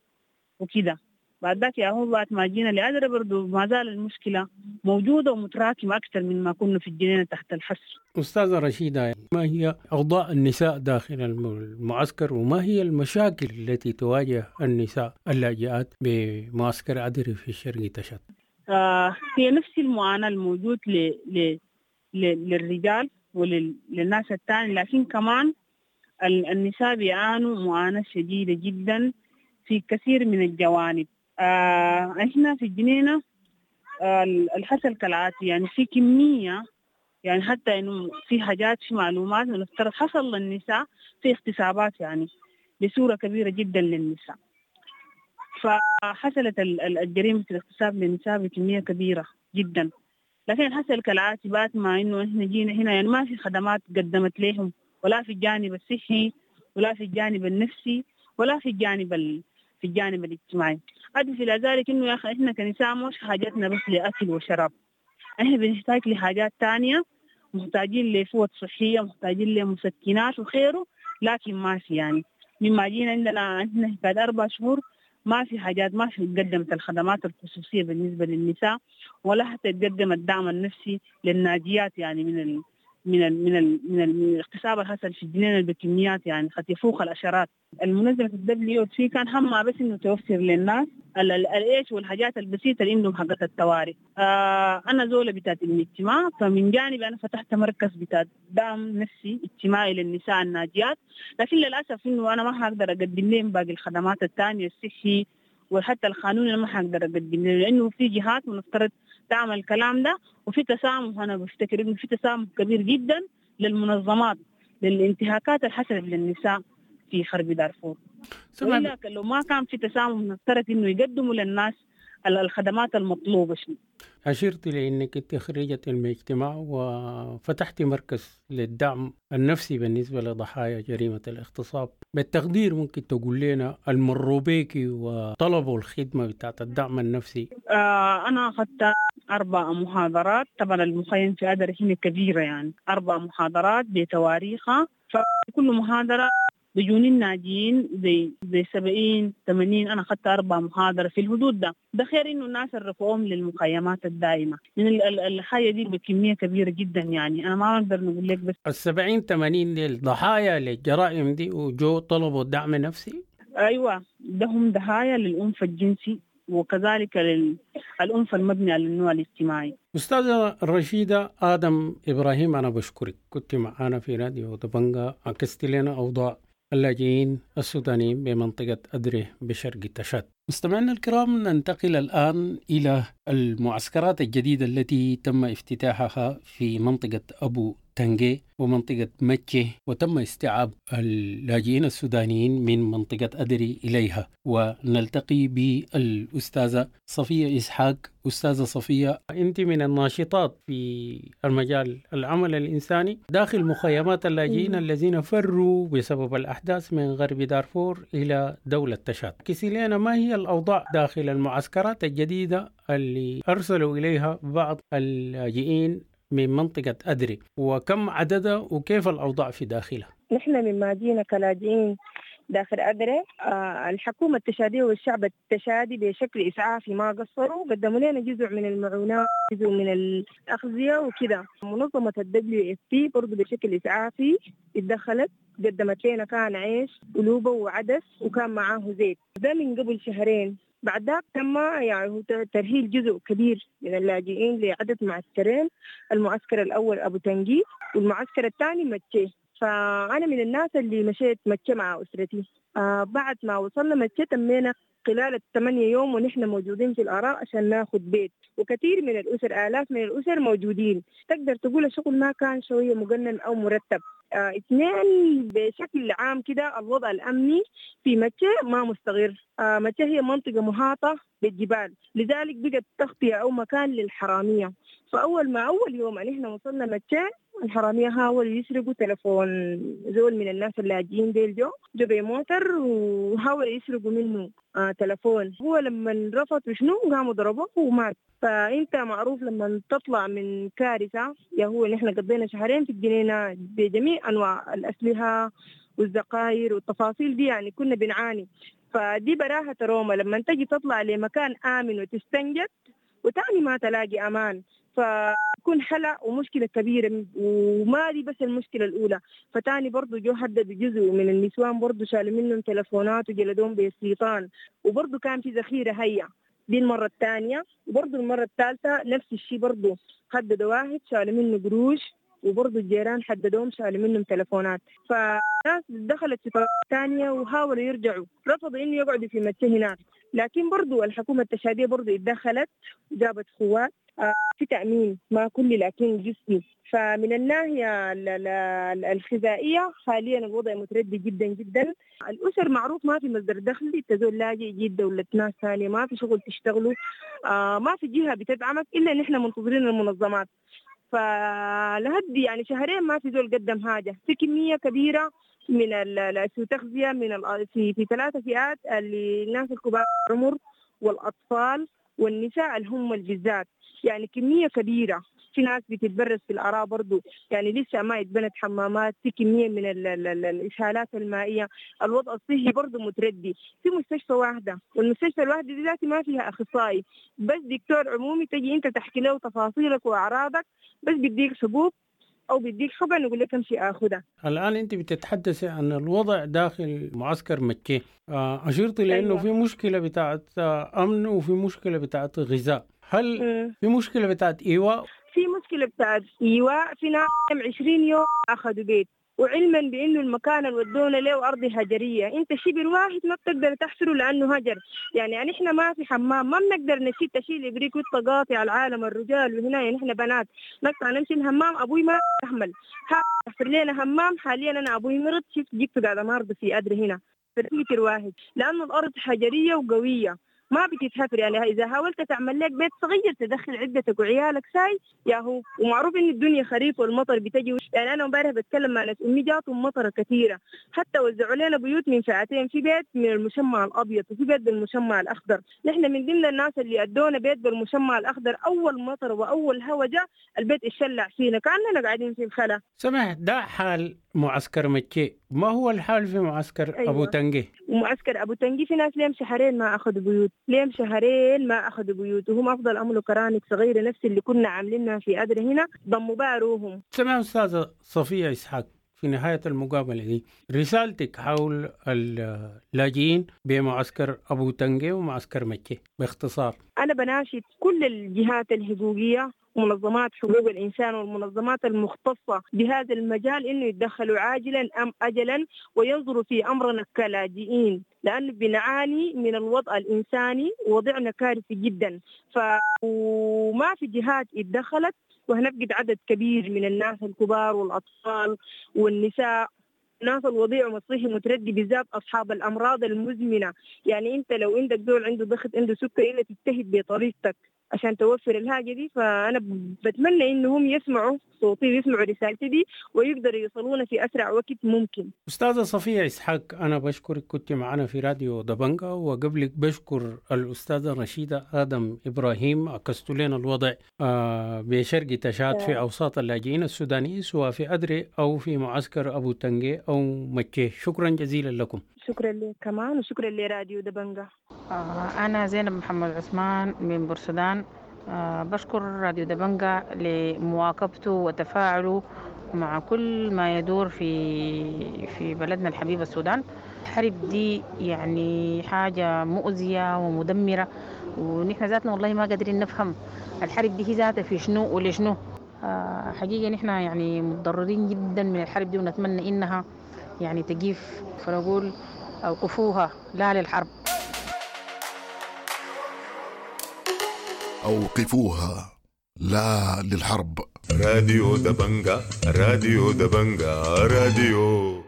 وكده. بعد ذاك يا هو بعد ما جينا لأدري برضو ما زال المشكلة موجودة ومتراكمة أكثر مما كنا في الجنينة تحت الحصر. أستاذة رشيدة، ما هي أوضاع النساء داخل المعسكر، وما هي المشاكل التي تواجه النساء اللاجئات بمعسكر أدري في شرق تشاد؟ هي نفس المعاناة الموجود للرجال وللناس الثاني، لكن كمان النساء بيعانوا معاناة شديدة جدا في كثير من الجوانب. احنا في الجنينة الحصل كالعاتي، يعني في كمية، يعني حتى انه في حاجات في معلومات نفترض حصل للنساء في اغتصابات يعني بصورة كبيرة جدا للنساء، فحصلت الجريمة الاغتصاب للنساء بكمية كبيرة جدا. لكن حصل كالعاتي بعد ما انه احنا جينا هنا يعني ما في خدمات قدمت لهم، ولا في الجانب الصحي ولا في الجانب النفسي ولا في الجانب في الجانب الاجتماعي. أضف إلى ذلك إنه يا أخي إحنا كنساء مش حاجاتنا بس لأكل وشراب، إحنا بنحتاج لحاجات تانية، محتاجين لفوط صحية، محتاجين لمسكنات وخيره، لكن ما في. يعني مما جينا عندنا بعد 4 شهور ما في حاجات، ما في تقدمت الخدمات الخصوصية بالنسبة للنساء، ولا حتى تقدم الدعم النفسي للناجيات يعني من ال من ال من ال من, ال من الاغتصاب الحصل في الجنينة بكميات يعني قد يفوق العشرات. المنظمة WFP كان همها بس انه توفر للناس الايش والحاجات البسيطة اللي عندهم حقت الطوارئ. انا زوله بتاعت الاجتماع، فمن جانبي انا فتحت مركز بتاع دعم نفسي اجتماعي للنساء الناجيات، لكن للاسف انه انا ما حقدر اقدم لهم باقي الخدمات الثانية الصحي وحتى القانون، انا ما حقدر اقدم له لانه في جهات منفترض تعمل الكلام ده، وفي تسامح. انا بفتكر انه في تسامح كبير جدا للمنظمات للانتهاكات الحصلت للنساء في حرب دارفور. وإلا لو ما كان في تسامح نفترض انه يقدموا للناس الخدمات المطلوبة. شنو أشرت لأنك أنت خريجة المجتمع وفتحتي مركز للدعم النفسي بالنسبة لضحايا جريمة الاغتصاب، بالتقدير ممكن تقول لنا المروا بيكي وطلبوا الخدمة بتاعت الدعم النفسي؟ أنا أخذت 4 محاضرات، طبعا المخيم في أدري هنا كبيرة، يعني 4 محاضرات بتواريخها، فكل محاضرة بيجوني الناجين زي 70 80. أنا أخذت 4 محاضرة في الحدود ده. ده خير إنه الناس رفعوهم للمخيمات الدائمة، لأن الحاجة دي بكمية كبيرة جدا، يعني أنا ما أقدر نقول لك بس 70 80 الضحايا للجرائم دي وجو طلبوا دعم نفسي؟ أيوة، ده هم ضحايا للعنف الجنسي وكذلك للعنف المبني على النوع الاجتماعي. أستاذة رشيدة آدم إبراهيم، أنا بشكرك، كنت معنا في راديو دبنجا، عكست لنا أوضاع اللاجئين السودانيين بمنطقة أدري بشرق تشاد. مستمعينا الكرام، ننتقل الآن إلى المعسكرات الجديدة التي تم افتتاحها في منطقة أبو تنجي ومنطقة مكة، وتم استيعاب اللاجئين السودانيين من منطقة أدري إليها. ونلتقي بالأستاذة صفية إسحاق. أستاذة صفية، أنت من الناشطات في المجال العمل الإنساني داخل مخيمات اللاجئين الذين فروا بسبب الأحداث من غرب دارفور إلى دولة تشاد. كسيلينا، ما هي الأوضاع داخل المعسكرات الجديدة اللي أرسلوا إليها بعض اللاجئين من منطقة أدري، وكم عددها وكيف الأوضاع في داخلها؟ نحن مما جينا كلاجئين داخل أدري. الحكومة التشادية والشعب التشادي بشكل إسعافي ما قصروا، قدموا لنا جزء من المعونات، جزء من الأغذية وكده. منظمة WFP برضو بشكل إسعافي اتدخلت، قدمت لنا كان عيش ولوبة وعدس وكان معاه زيت. ده من قبل شهرين. بعد ذاك تم يعني ترهيل جزء كبير من اللاجئين لعدد معسكرين، المعسكر الأول أبو تنجي والمعسكر الثاني متشي. فأنا من الناس اللي مشيت متشي مع أسرتي. بعد ما وصلنا متشي تمينا خلال 8 يوم ونحن موجودين في الآراء عشان ناخد بيت، وكثير من الأسر، آلاف من الأسر موجودين. تقدر تقول الشغل ما كان شوية مقنن أو مرتب. اثنين، بشكل عام كده الوضع الأمني في متشي ما مستقر. متشي هي منطقة محاطة بالجبال، لذلك بقت تغطية أو مكان للحرامية. فأول ما أول يوم نحن وصلنا متشي الحرامية حاولوا يسرقوا تلفون زول من الناس اللاجئين ديل، جو بموتر وحاولوا يسرقوا منه تلفون. هو لما رفض وشنو قاموا ضربوه ومات. فأنت معروف لما تطلع من كارثة، يا هو نحن قضينا شهرين في الجنينة بجميع أنواع الأسلحة والذخائر والتفاصيل دي، يعني كنا بنعاني. فدي براها تروما لما تجي تطلع لمكان آمن وتستنجد وتاني ما تلاقي أمان، فكون حلا ومشكلة كبيرة. وما دي بس المشكلة الأولى، فتاني برضو جو حددوا جزء من النسوان برضو شالوا منهم تلفونات وجلدوهم بالسيطان، وبرضو كان في ذخيرة هيا. دي المرة الثانية. وبرضو المرة الثالثة نفس الشيء، برضو حددوا واحد شالوا منه قروش، وبرضو الجيران حددوهم شالوا منهم تلفونات. فناس دخلت في طريقة ثانية وحاولوا يرجعوا، رفضوا إنه يقعدوا في متى هناك. لكن برضو الحكومة التشادية برضو اتدخلت وجابت قوات في تأمين ما كل لكن جزئي. فمن الناحية الغذائية حاليا الوضع متردي جدا جدا. الأسر معروف ما في مصدر دخل، تزول لاجئ جيب دولة ناس ثانية، ما في شغل تشتغلوا، ما في جهة بتدعمك إلا نحن منتظرين المنظمات. فلهدي يعني شهرين ما في زول قدم حاجة. في كمية كبيرة من التغذية من في 3 فئات، اللي الناس الكبار العمر والأطفال والنساء اللي هم بالذات، يعني كمية كبيرة. في ناس بتتبرز في الآراء برضو، يعني لسه ما اتبنت حمامات، في كمية من الإسهالات المائية. الوضع الصحي برضو متردي. في مستشفى واحدة، والمستشفى الواحدة دي ذاتي ما فيها أخصائي، بس دكتور عمومي تجي أنت تحكي له تفاصيلك وأعراضك، بس بيديك حبوب أو بيديك حقن يقول لك امشي آخذها. الآن أنت بتتحدثي عن الوضع داخل معسكر مكة، أشرت لأنه أيوة. في مشكلة بتاعت أمن وفي مشكلة بتاعت غذاء. هل في مشكلة بتاعت إيواء؟ في مشكلة بتاعت إيواء. في ناس 20 يوم أخذوا بيت، وعلما بانه المكان اللي ودونا له ارض هجريه، انت شبر واحد ما بتقدر تحفره لانه هجر. يعني احنا ما في حمام، ما بنقدر نشيل تشيل ابريق وتقاطع العالم الرجال، وهنا يعني احنا بنات نقطع نمشي الحمام. ابوي ما يحمل حفر لنا حمام. حاليا انا ابوي مرض، شفت جبته قاعد مرض في ادري هنا في متر واحد، لانه الارض حجريه وقويه ما بتتحفر. يعني إذا حاولت تعمل لك بيت صغير تدخل عدتك وعيالك ساي يا هو. ومعروف إن الدنيا خريف والمطر بتجي. يعني أنا امبارح بتكلم مع ناس أمي جاتهم مطرة كثيرة، حتى وزعوا لنا بيوت من فئتين، في بيت من المشمع الأبيض وفي بيت بالمشمع الأخضر. نحن من ضمن الناس اللي أدونا بيت بالمشمع الأخضر. أول مطر وأول هوا جاء البيت اتشلع فينا كأننا قاعدين في الخلا. سمح، ده حال معسكر مكي، ما هو الحال في معسكر أيوة. أبو تنجي؟ ومعسكر أبو تنجي في ناس ليهم شهرين ما أخذوا بيوت، ليهم شهرين ما أخذوا بيوت، وهم أفضل أملوا كرانك صغيرة نفس اللي كنا عاملينها في أدري هنا، ضموا باروهم. سمع أستاذة صفية إسحاق، في نهاية المقابلة دي رسالتك حول اللاجئين بمعسكر أبو تنجي ومعسكر مكي باختصار. أنا بناشد كل الجهات الحقوقية ومنظمات حقوق الإنسان والمنظمات المختصة بهذا المجال إنه يتدخلوا عاجلا أم أجلا وينظروا في أمرنا كلاجئين، لأنه بنعاني من الوضع الإنساني ووضعنا كارثي جدا. وما في جهات اتدخلت، وهنفقد عدد كبير من الناس الكبار والأطفال والنساء، الناس الوضيع ومصيحي متردي، بالذات أصحاب الأمراض المزمنة. يعني أنت لو عندك زول عنده ضغط عنده سكر إلا تجتهد بطريقتك عشان توفر الحاجة دي. فأنا بتمنى إنهم يسمعوا صوتي ويسمعوا رسالتي دي ويقدروا يوصلونا في أسرع وقت ممكن. أستاذة صفية إسحاق، أنا بشكرك، كنت معنا في راديو دبنجا، وقبلك بشكر الأستاذة رشيدة آدم إبراهيم، عكست لنا الوضع بشرق تشاد في أوساط اللاجئين السودانيين سواء في أدري أو في معسكر أبو تنجي أو مكي. شكرا جزيلا لكم. شكرا لك كمان، وشكرا لراديو دبنجة. أنا زينب محمد عثمان من بورسودان. بشكر راديو دبنجة لمواكبته وتفاعله مع كل ما يدور في بلدنا الحبيب السودان. الحرب دي يعني حاجة مؤذية ومدمرة، ونحن ذاتنا والله ما قادرين نفهم الحرب دي هي ذاتها في شنو ولشنو. حقيقة نحن يعني متضررين جدا من الحرب دي، ونتمنى إنها يعني تقيف، فنقول أوقفوها، لا للحرب. أوقفوها، لا للحرب. راديو دبنجة، راديو دبنجة، راديو.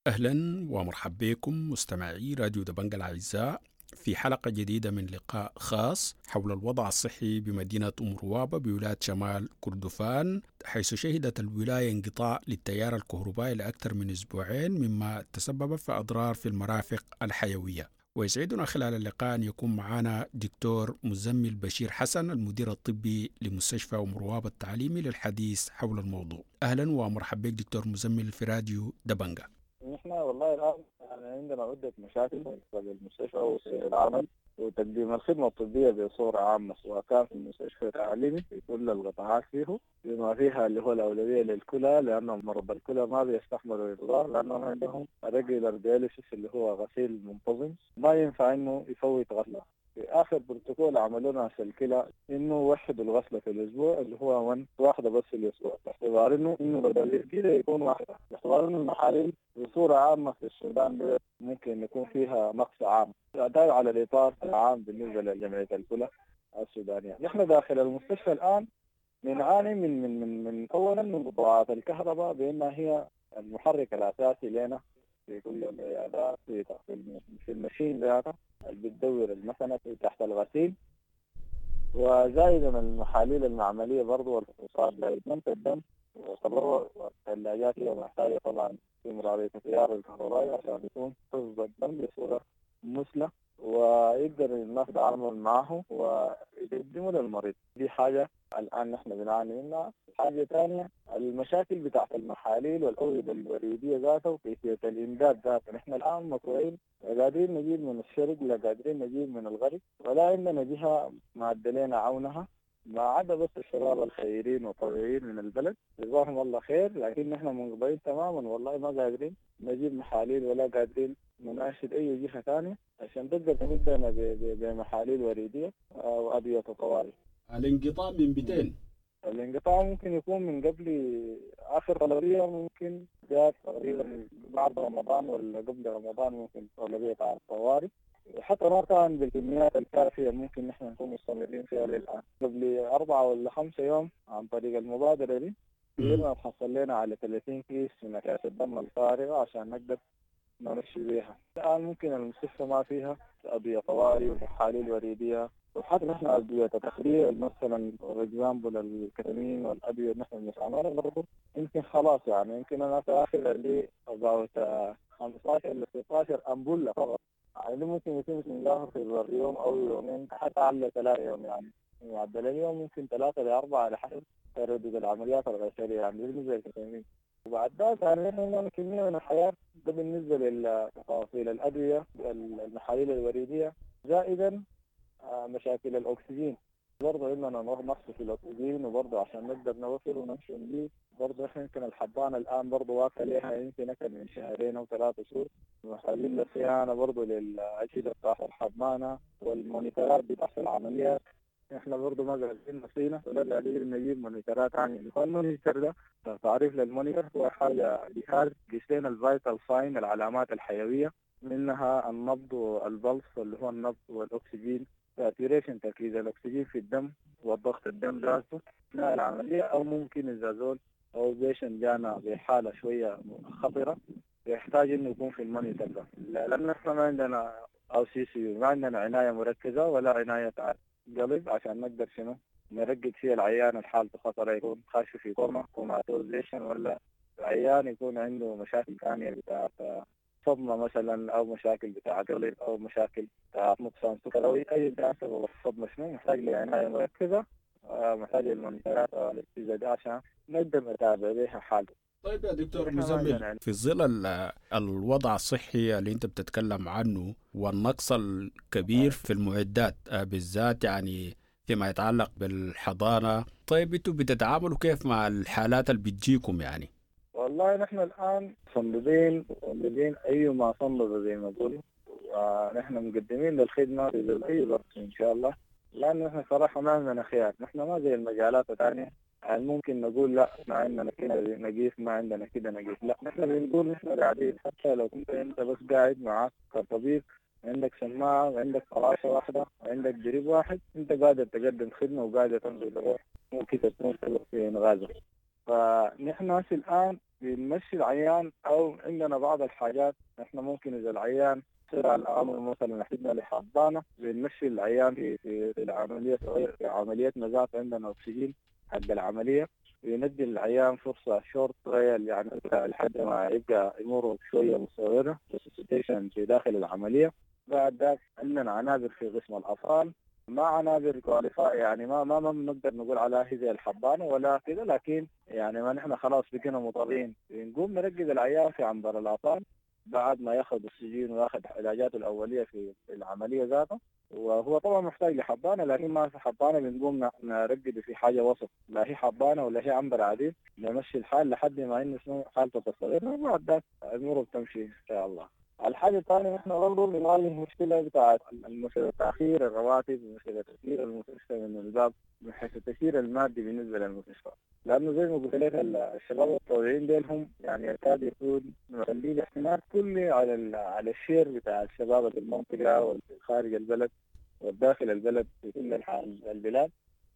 أهلا ومرحبا بكم مستمعي راديو دبنجة الأعزاء في حلقة جديدة من لقاء خاص حول الوضع الصحي بمدينة أم روابة بولاية شمال كردفان، حيث شهدت الولاية انقطاع للتيار الكهربائي لأكثر من أسبوعين، مما تسبب في أضرار في المرافق الحيوية. ويسعدنا خلال اللقاء أن يكون معنا دكتور مزمل بشير حسن، المدير الطبي لمستشفى أم روابة التعليمي، للحديث حول الموضوع. أهلا ومرحبا بك دكتور مزمل في راديو دبنجة. نحن والله الآن يعني عندنا عدة مشاكل في المستشفى وسير العمل وتقديم الخدمة الطبية بصورة عامة، سواء كان في المستشفى التعليمي في كل القطاعات فيه، بما فيها اللي هو الأولوية للكلى، لأن مرضى الكلى ما بيستحملوا الإضرار، لأنهم عندهم regular dialysis اللي هو غسيل منتظم، ما ينفع إنه يفوت غسلة. في آخر بروتوكول عملوه ناس الكلى إنه وحدوا الغسلة في الأسبوع اللي هو واحدة بس في الأسبوع، باعتبار إنه بدل كده يكون واحدة، باعتبار إنه المحاليل بصورة عامة في السودان ممكن يكون فيها نقص عام، ده على الإطار العام بالنسبة لجمعية الكلى السودانية. نحن داخل المستشفى الآن بنعاني من من من من أولا من قطاعات الكهرباء بأنها هي المحرك الأساسي لنا في كل العيادات، في ال machine ذاتها اللي بتدور المكنة تحت الغسيل، وزائدا المحاليل المعملية برضو والفحوصات لإدمانة الدم والتبرع والثلاجات هي محتاجة طبعا استمرارية التيار الكهربائي عشان يكون حفظ الدم بصورة مثلى ويقدر الناس يتعامل معه ويقدمه للمريض. دي حاجة الآن نحن بنعاني منها. حاجة ثانية المشاكل بتاعت المحاليل والأوردة الوريدية ذاتها وكيفية الإمداد ذاتها. نحن الآن مقطوعين، لا قادرين نجيب من الشرق لا قادرين نجيب من الغرب، ولا عندنا جهة مادة لنا عونها، ما عدا بس الشباب الخيرين والطبيعيين من البلد جزاهم الله خير، لكن نحن منقطعين تماما والله، ما قادرين نجيب محاليل ولا قادرين نناشد أي جهة ثانية عشان تقدر تمدنا بمحاليل وريدية وأدوية طوارئ. الانقطاع من 200؟ الانقطاع ممكن يكون من قبل آخر طلبية، ممكن جات تقريبا بعد رمضان ولا قبل رمضان، ممكن طلبية على الطوارئ، حتى ما كان بالكميات الكافية ممكن نحن نكون مستمرين فيها للآن. قبل 4 ولا 5 يوم عن طريق المبادرة دي قدرنا نحصل لنا على 30 كيس من أكياس الدم الفارغة عشان نقدر نمشي بيها. الآن ممكن المستشفى ما فيها أدوية طوارئ ومحاليل وريدية، وحتى نحن أدوية تخدير مثلا example الكتامين والأدوية اللي نحن بنستعملها برضه يمكن خلاص، يعني يمكن أنا في آخر اللي about 15 ل 16 أمبولة فقط، يعني ممكن يتم استنزافها في يوم أو يومين حتى على 3 يوم، يعني معدل اليوم ممكن 3 ل 4 على حسب تردد العمليات الغسيلية يعني بالنسبة للكتامين. وبعد ذلك يعني نحن كمية من الحياة ده بالنسبة للتفاصيل الأدوية المحاليل الوريدية، زائدا مشاكل الأكسجين برضه عندنا نقص في الأكسجين، وبرضه عشان نقدر نوفر ونمشي ونجيب برضه إحنا يمكن الحضانة الآن برضه واقفة لها يمكن أكثر من 2 أو 3 شهور، محتاجين للصيانة برضه للأجهزة بتاعت الحضانة والمونيتورات بتاعت العمليات. احنا برضه ما قادرين نصينا ولا قادرين نجيب مونيتورات ثانية. ال monitor ده تعريف لل monitor هو حاجة جهاز يقيس لنا ال vital sign، العلامات الحيوية، منها النبض وال pulse اللي هو النبض والأكسجين saturation، تركيز الأكسجين في الدم والضغط الدم ذاته أثناء العملية، أو ممكن إذا زول أو patient جانا بحالة شوية خطرة يحتاج إنه يكون في ال monitor ده، لأن إحنا ما عندنا أو CCU، ما عندنا عناية مركزة ولا عناية قلب عشان نقدر شنو نرقد فيها العيان الحالة خطرة، يكون خاش في coma comatosation، ولا العيان يكون عنده مشاكل ثانية بتاعت صدمة مثلا، أو مشاكل بتاع قلب، أو مشاكل بتاع نقصان سكر، أو أي كان سبب الصدمة شنو، محتاج لعناية مركزة، محتاج للمونيتورات والاجهزة دي عشان نقدر نتابع بها حالته. طيب يا دكتور مزمل، في ظل الوضع الصحي اللي انت بتتكلم عنه والنقص الكبير في المعدات بالذات يعني فيما يتعلق بالحضانة، طيب انتوا بتتعاملوا كيف مع الحالات اللي بتجيكم يعني؟ والله نحن الآن صندوقين أيما صندوق زي ما بقولوا، ونحن مقدمين للخدمة في أي وقت إن شاء الله، لأنه نحن صراحة ما عندنا خيار. نحن ما زي المجالات الثانية يعني ممكن نقول لا ما عندنا كده نقيف، ما عندنا كده نقيف، لا نحن بنقول نحن قاعدين. حتى لو كنت أنت بس قاعد معك كطبيب، عندك سماعة وعندك فراشة واحدة وعندك دريب واحد، أنت قادر تقدم خدمة وقادر تنزل الروح، ممكن تكون سبب في إنغازه. فنحن في الآن بنمشي العيان، أو عندنا بعض الحاجات نحن ممكن إذا العيان سرع الأمر مثلا احتجنا لحضانة بنمشي العيان في العملية، في عملية نزاف عندنا أكسجين حق العملية، بندي العيان فرصة short trial يعني لحد ما يبقى أموره شوية مستقرة في داخل العملية. بعد ذاك عندنا عنابر في قسم الأطفال، ما عنابر qualified يعني ما ما ما بنقدر نقول عليها هي زي الحضانة ولا كده، لكن يعني ما نحن خلاص بقينا مضطرين بنقوم نرقد العيان في عنبر الأطفال بعد ما ياخذ اكسجين وياخذ علاجاته الأولية في العملية ذاته، وهو طبعا محتاج لحضانة لكن ما في حضانة، بنقوم نرقده في حاجة وسط، لا هي حضانة ولا هي عنبر عادي، نمشي الحال لحد ما إنه حالته تستقر، وبعد ذاك أموره بتمشي إن شاء الله. الحاجة الثانية نحن برضه بنواجه مشكلة بتاعت المشكلة تأخير الرواتب ومشكلة تأخير المستشفى من الباب من حيث التأثير المادي بالنسبة للمستشفى، لأنه زي ما قلت لك الشباب الطبيعيين ديل هم يعني يكاد يكون مخلين الاعتماد كله على الشير بتاع الشباب في المنطقة وخارج البلد والداخل البلد في كل البلاد،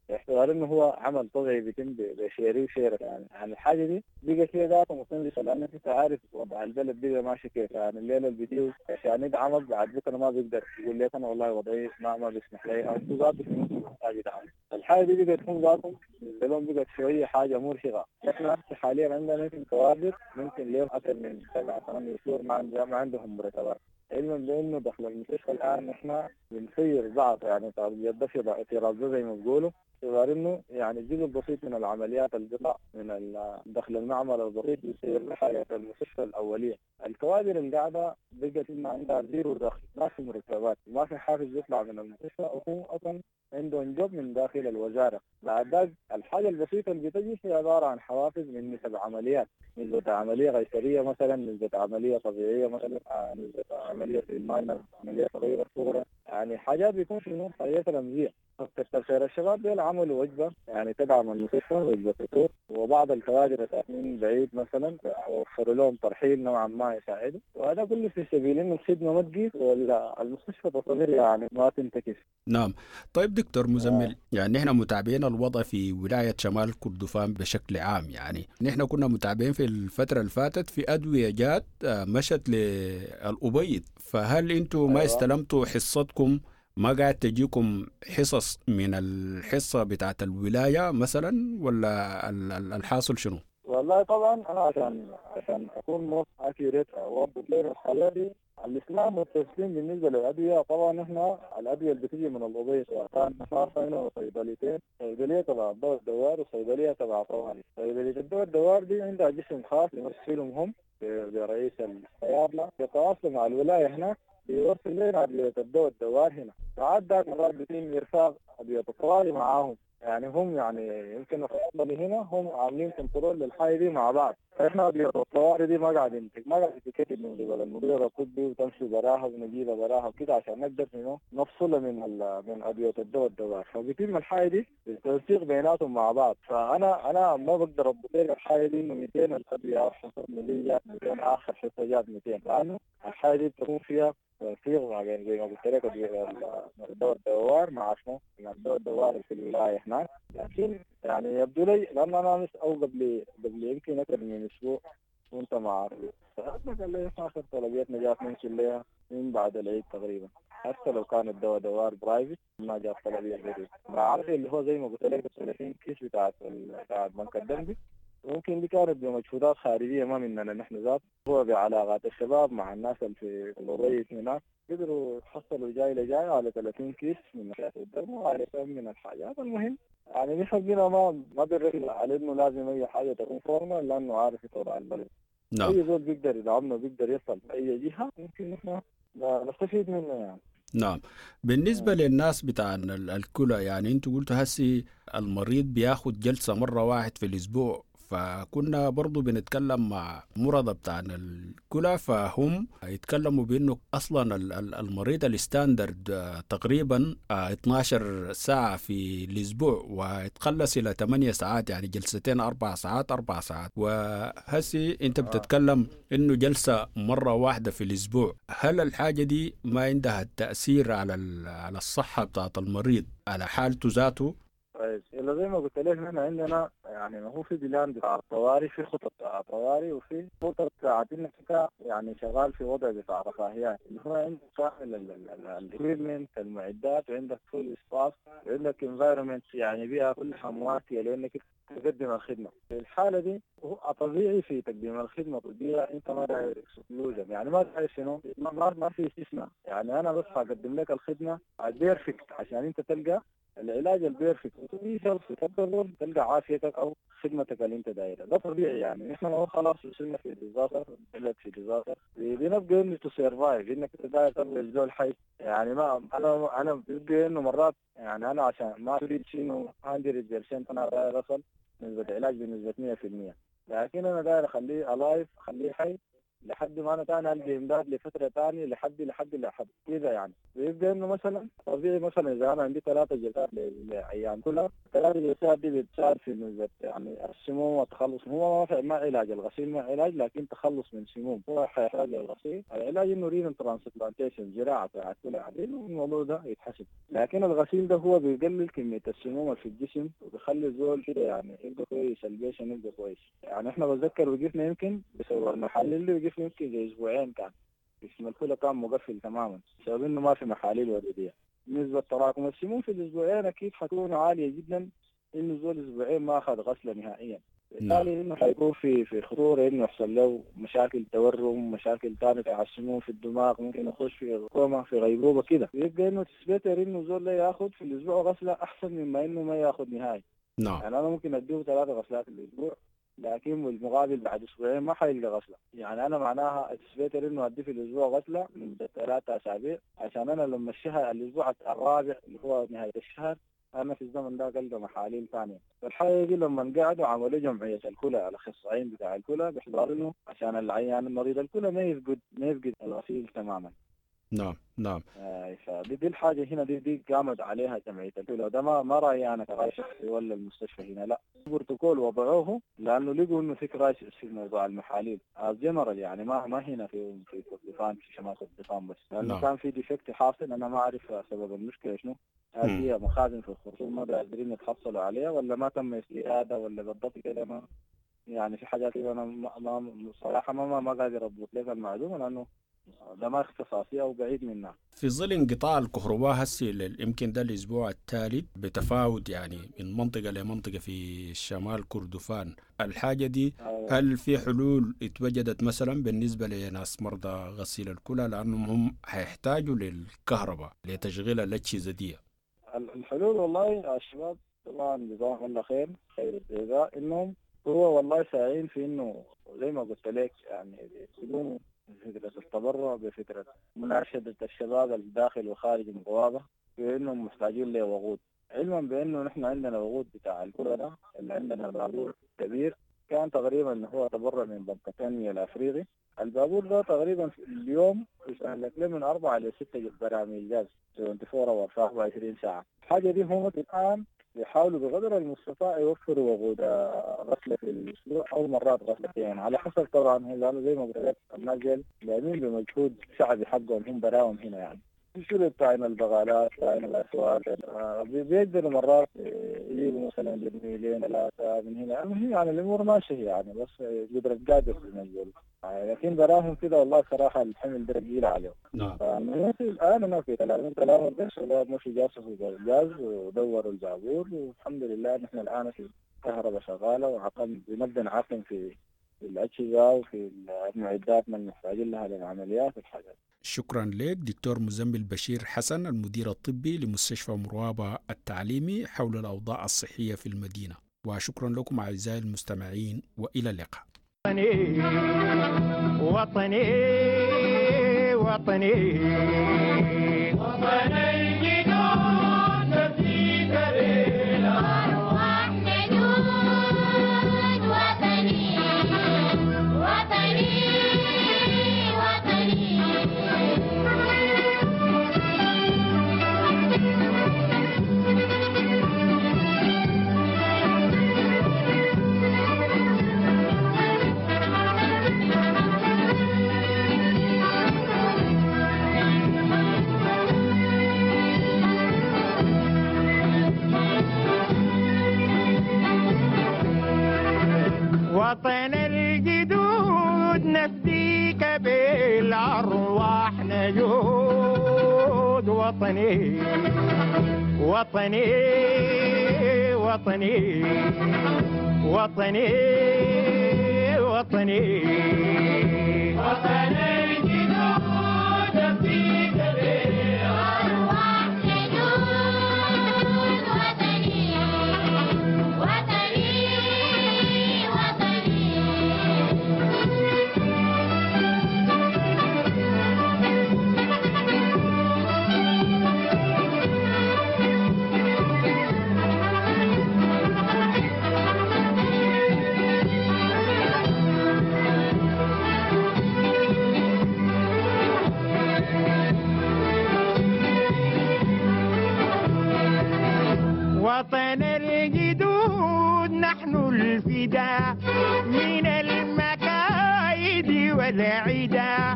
باعتبار انه هو عمل طبيعي بيتم بشيري وشيرة يعني الحاجة دي بقت هي ذاتها مستنزفه، لانك انت عارف وضع البلد بقى ماشي كيف، يعني الليلة اللي بيجيه عشان يدعمك بعد بكره ما بيقدر يقول لك انا والله وضعي ما بيسمح لي، او ذاته في نص محتاج يدعم. الحاجة دي بقت هم ذاتهم بالنسبة لهم بقت شوية حاجة مرهقة. احنا حاليا عندنا يمكن كوادر ممكن لهم اكثر من 7-8 شهور ما عندهم مرتبات، علما بانه دخل المستشفى الان نحن بنسير بعض يعني في راسه زي ما بيقولوا، باعتبار انه يعني الجزء البسيط من العمليات القطع من دخل المعمل البسيط يصير لحاجة المستشفى الاولية. الكوادر اللي قاعدة بقت ما عندها zero دخل، ما في مرتبات، ما في حافز يطلع من المستشفى، وهو اصلا عندهم job من داخل الوزارة. بعد ذاك الحاجة البسيطة اللي بتجي هي عبارة عن حوافز من نسب عمليات، نسبه عملية قيصرية مثلا، نسبه عملية طبيعية مثلا، نسبه عملية في ال minor، عملية صغيرة صغرى، يعني حاجات بيكون في حاجات رمزية. كتر خير الشباب دول عملوا وجبة يعني تدعم المستشفى، وجبة فطور، وبعض الكوادر الساكنين بعيد مثلا وفروا لهم ترحيل نوعا ما يساعدوا، وهذا كله في سبيل انه الخدمة ما تقيس ولا المستشفى تصغير يعني ما تنتكس. نعم. طيب دكتور مزمل، يعني نحن متابعين الوضع في ولاية شمال كردفان بشكل عام، يعني نحن كنا متابعين في الفترة اللي فاتت في ادوية جات مشت للأبيض، فهل انتم ما استلمتوا حصتكم؟ ما قاعد تجيكم حصص من الحصة بتاعت الولاية مثلا ولا الحاصل شنو؟ والله طبعا أنا عشان أكون more accurate أوضح لك الحالة دي، الإسلام والتسليم بالنسبة للأدوية، طبعا إحنا الأدوية اللي بتيجي من الأبيض كان هنا صيدليتين، صيدلية تبع الدواء الدوار وصيدلية تبع طوارئ. صيدلية الدواء الدوار دي عندها جسم خاص يمثلهم هم برئيس الصيادلة، يتواصلوا مع الولاية هناك بيوصل لنا أدوية الدواء الدوار هنا. ساعات ذاك مرات بيتم إرفاق أدوية الطوارئ معاهم، يعني هم يعني يمكن الصيدلي هنا هم عاملين control للحاجة دي مع بعض. فإحنا أدوية الطوارئ دي ما قاعد تتكتب من قبل المدير الطبي وتمشي براها ونجيبها براها وكده عشان نقدر إنه نفصلها من أدوية الدواء الدوار. فبيتم الحاجة دي بالتنسيق بيناتهم مع بعض. فأنا ما بقدر أضبط لك الحاجة دي إنه 200 الأدوية أو حصة جات 200 آخر حصة جات 200، لأنه الحاجة دي بتكون فيها تنسيق مع زي ما قلت لك الدواء الدوار مع شنو؟ مع الدواء الدوار في الولاية هناك. لكن يعني يبدو لي لأن أنا أمس أو قبل يمكن أكثر من أسبوع كنت مع قال لي آخر طلبيتنا جات ممكن لها من بعد العيد تقريبا، حتى لو كان الدواء دوار private ما جات طلبية جديدة. مع عارف اللي هو زي ما قلت لك 30 كيس بتاعت بنك الدم دي، ممكن دي كانت بمجهودات خارجية ما مننا نحن ذات، هو بعلاقات الشباب مع الناس اللي في الأبيض هناك قدروا يحصلوا جاي لجاي على 30 كيس من الدم وعلى كم من الحاجات. المهم يعني نحن بقينا ما بنركز على انه لازم اي حاجة تكون formal لانه عارف وضع البلد. نعم. اي زول بيقدر يدعمنا بيقدر يصل اي جهة ممكن نحن نستفيد منه يعني. نعم. بالنسبة للناس بتاع الكلى، يعني انتوا قلتوا هسي المريض بياخد جلسة مرة واحد في الأسبوع، فكنا برضو بنتكلم مع مرضى بتاع الكلى فهم يتكلموا بأنه أصلا المريض ال standard تقريبا 12 ساعة في الأسبوع ويتقلص إلى 8 ساعات، يعني جلستين 4 ساعات 4 ساعات. وهسي أنت بتتكلم إنه جلسة مرة واحدة في الأسبوع، هل الحاجة دي ما عندها تأثير على الصحة بتاعت المريض على حالته ذاته؟ طيب إلا زي ما قلت لك نحن عندنا يعني ما هو في plan بتاع الطوارئ، في خطط بتاع الطوارئ وفي خطط بتاعت انك انت يعني شغال في وضع بتاع رفاهيات، اللي هو عندك كامل ال equipment المعدات، وعندك full staff، وعندك environment يعني بيئة كلها مواتيه لانك تقدم الخدمة. في الحالة دي هو طبيعي في تقديم الخدمة الطبية انت ما داير exclusion، يعني ما داير شنو، ما في استثناء، يعني انا بس هقدم لك الخدمة ال perfect عشان انت تلقى العلاج ال perfect وتبي تلقى عافيتك او خدمتك اللي انت دايرها. ده طبيعي يعني نحن ما خلاص وصلنا في disaster، بلد في disaster، بنبقى انه to survive، انك انت داير تبقى زول حي يعني. ما انا بيبقى انه مرات يعني انا عشان ما اريد انه 100% انا داير اصل نسبه علاج بنسبة 100%، لكن انا داير اخليه alive، اخليه حي لحد ما انا تاني القى امداد لفترة ثانية لحد لحد لحد كذا يعني. بيبقى انه مثلا طبيعي مثلا اذا انا عندي 3 جلسات لايام كلها، 3 جلسات دي بتساعد في نسبه يعني السموم والتخلص. هو ما علاج الغسيل، ما علاج، لكن تخلص من سموم هو حيحتاج الغسيل. العلاج انه renal transplantation، زراعة بتاعت كلى عديل، والموضوع ده يتحسب. لكن الغسيل ده هو بيقلل كمية السموم في الجسم وبيخلي الزول كده يعني يبقى كويس، ال patient يبقى كويس. يعني احنا بتذكر وقفنا يمكن بسبب المحاليل اللي وقفنا يمكن زي اسبوعين، كان جسم الكلى كان مقفل تماما بسبب انه ما في محاليل وريديه. نسبة تراكم السموم في الاسبوعين اكيد حتكون عالية جدا، انه زول اسبوعين ما اخذ غسله نهائيا، بالتالي انه حيكون في خطورة انه يحصل له مشاكل تورم، مشاكل ثانية على السموم في الدماغ، ممكن يخش في كوما، في غيبوبة كده. يبقى انه it's better انه زول ياخذ في الاسبوع غسله احسن مما انه ما ياخذ نهائي. نعم. يعني انا ممكن اديه 3 غسلات في الاسبوع، لكن بالمقابل بعد اسبوعين ما حيلقى غسله. يعني انا معناها it's better انه ادي في الاسبوع غسله لمدة 3 اسابيع، عشان انا لما الشهر الاسبوع الرابع اللي هو نهاية الشهر انا في الزمن ده القى محاليل ثانية. فالحاجه دي لما قعدوا عملوا جمعية الكلى، الاخصائيين بتاع الكلى بيحضروا له عشان العيان المريض الكلى ما يفقد الغسيل تماما. نعم نعم. فدي الحاجة هنا دي قامت عليها جمعية الكلى. ده ما رايي انا كراي شخصي ولا المستشفى هنا، لا، بروتوكول وضعوه لانه لقوا انه في crisis في موضوع المحاليل جنرال، يعني ما هنا في كردفان، في شمال كردفان بس، لانه نعم. كان في defect حاصل، انا ما اعرف سبب المشكلة شنو، هل هي مخازن في الخرطوم ما قادرين يتحصلوا عليها ولا ما تم استيرادها ولا بالضبط كده، ما يعني في حاجات كده انا ما صراحة ما قادر اضبط لك المعلومة لانه ده ما اختصاصي او بعيد منها. في ظل انقطاع الكهرباء هسي يمكن ده الاسبوع الثالث بتفاوت يعني من منطقة لمنطقه في شمال كردفان، الحاجة دي هل في حلول اتوجدت مثلا بالنسبة لناس مرضى غسيل الكلى لانهم هم حيحتاجوا للكهرباء لتشغيل الاجهزة دي؟ الحلول والله الشباب طبعا جزاهم الله خير خير الجزاء، انهم هو والله ساعين في انه زي ما قلت لك يعني بيقوموا بفكرة التبرع، بفكرة مناشدة الشباب الداخل وخارج البوابة بأنهم محتاجين لوقود، علما بأنه نحن عندنا وقود بتاع الكرة ده اللي عندنا بابور كبير كان تقريبا هو تبرع من بنك التنمية الأفريقي. البابور ده تقريبا في اليوم يستهلك له من 4 إلى 6 براميل غاز 24 hour في 24 ساعة. الحاجة دي هم الآن بيحاولوا بقدر المستطاع يوفروا وقود غسلة في الأسبوع أو مرات غسلتين يعني على حسب طبعا، لأنه زي ما قلت لك الناس ديل لاعبين بمجهود شعبي حقهم هم براهم هنا يعني. الشغل بتاعنا البغالات بتاعنا الأسواق بيقدروا مرات يجيبوا مثلا برميلين 3 من هنا، المهم يعني الأمور ماشية يعني، بس قدرة قادر بنقول، لكن براهم كده والله صراحة الحمل ده ثقيل عليهم. نعم. الآن أنا في كلام بس شباب مشوا جاسوا الغاز ودوروا البابور، والحمد لله نحن الآن في كهرباء شغالة وعقم بنبدأ نعقم في الأجهزة وفي المعدات من المحتاجين لها للعمليات والحاجات. شكرا لك دكتور مزمل بشير حسن، المدير الطبي لمستشفى مروابة التعليمي، حول الأوضاع الصحية في المدينة. وشكرا لكم أعزائي المستمعين، وإلى اللقاء. وطني وطني وطني وطني جدود نفديك بالأرواح نجود وطني وطني وطني. وطن الجدود نفديك بالأرواح نجود وطني وطني وطني وطني وطني وطن الجدود نفديك بالأرواح نجود وطني وطني وطني. وطن الجدود نحن الفداء من المكايد والعدا،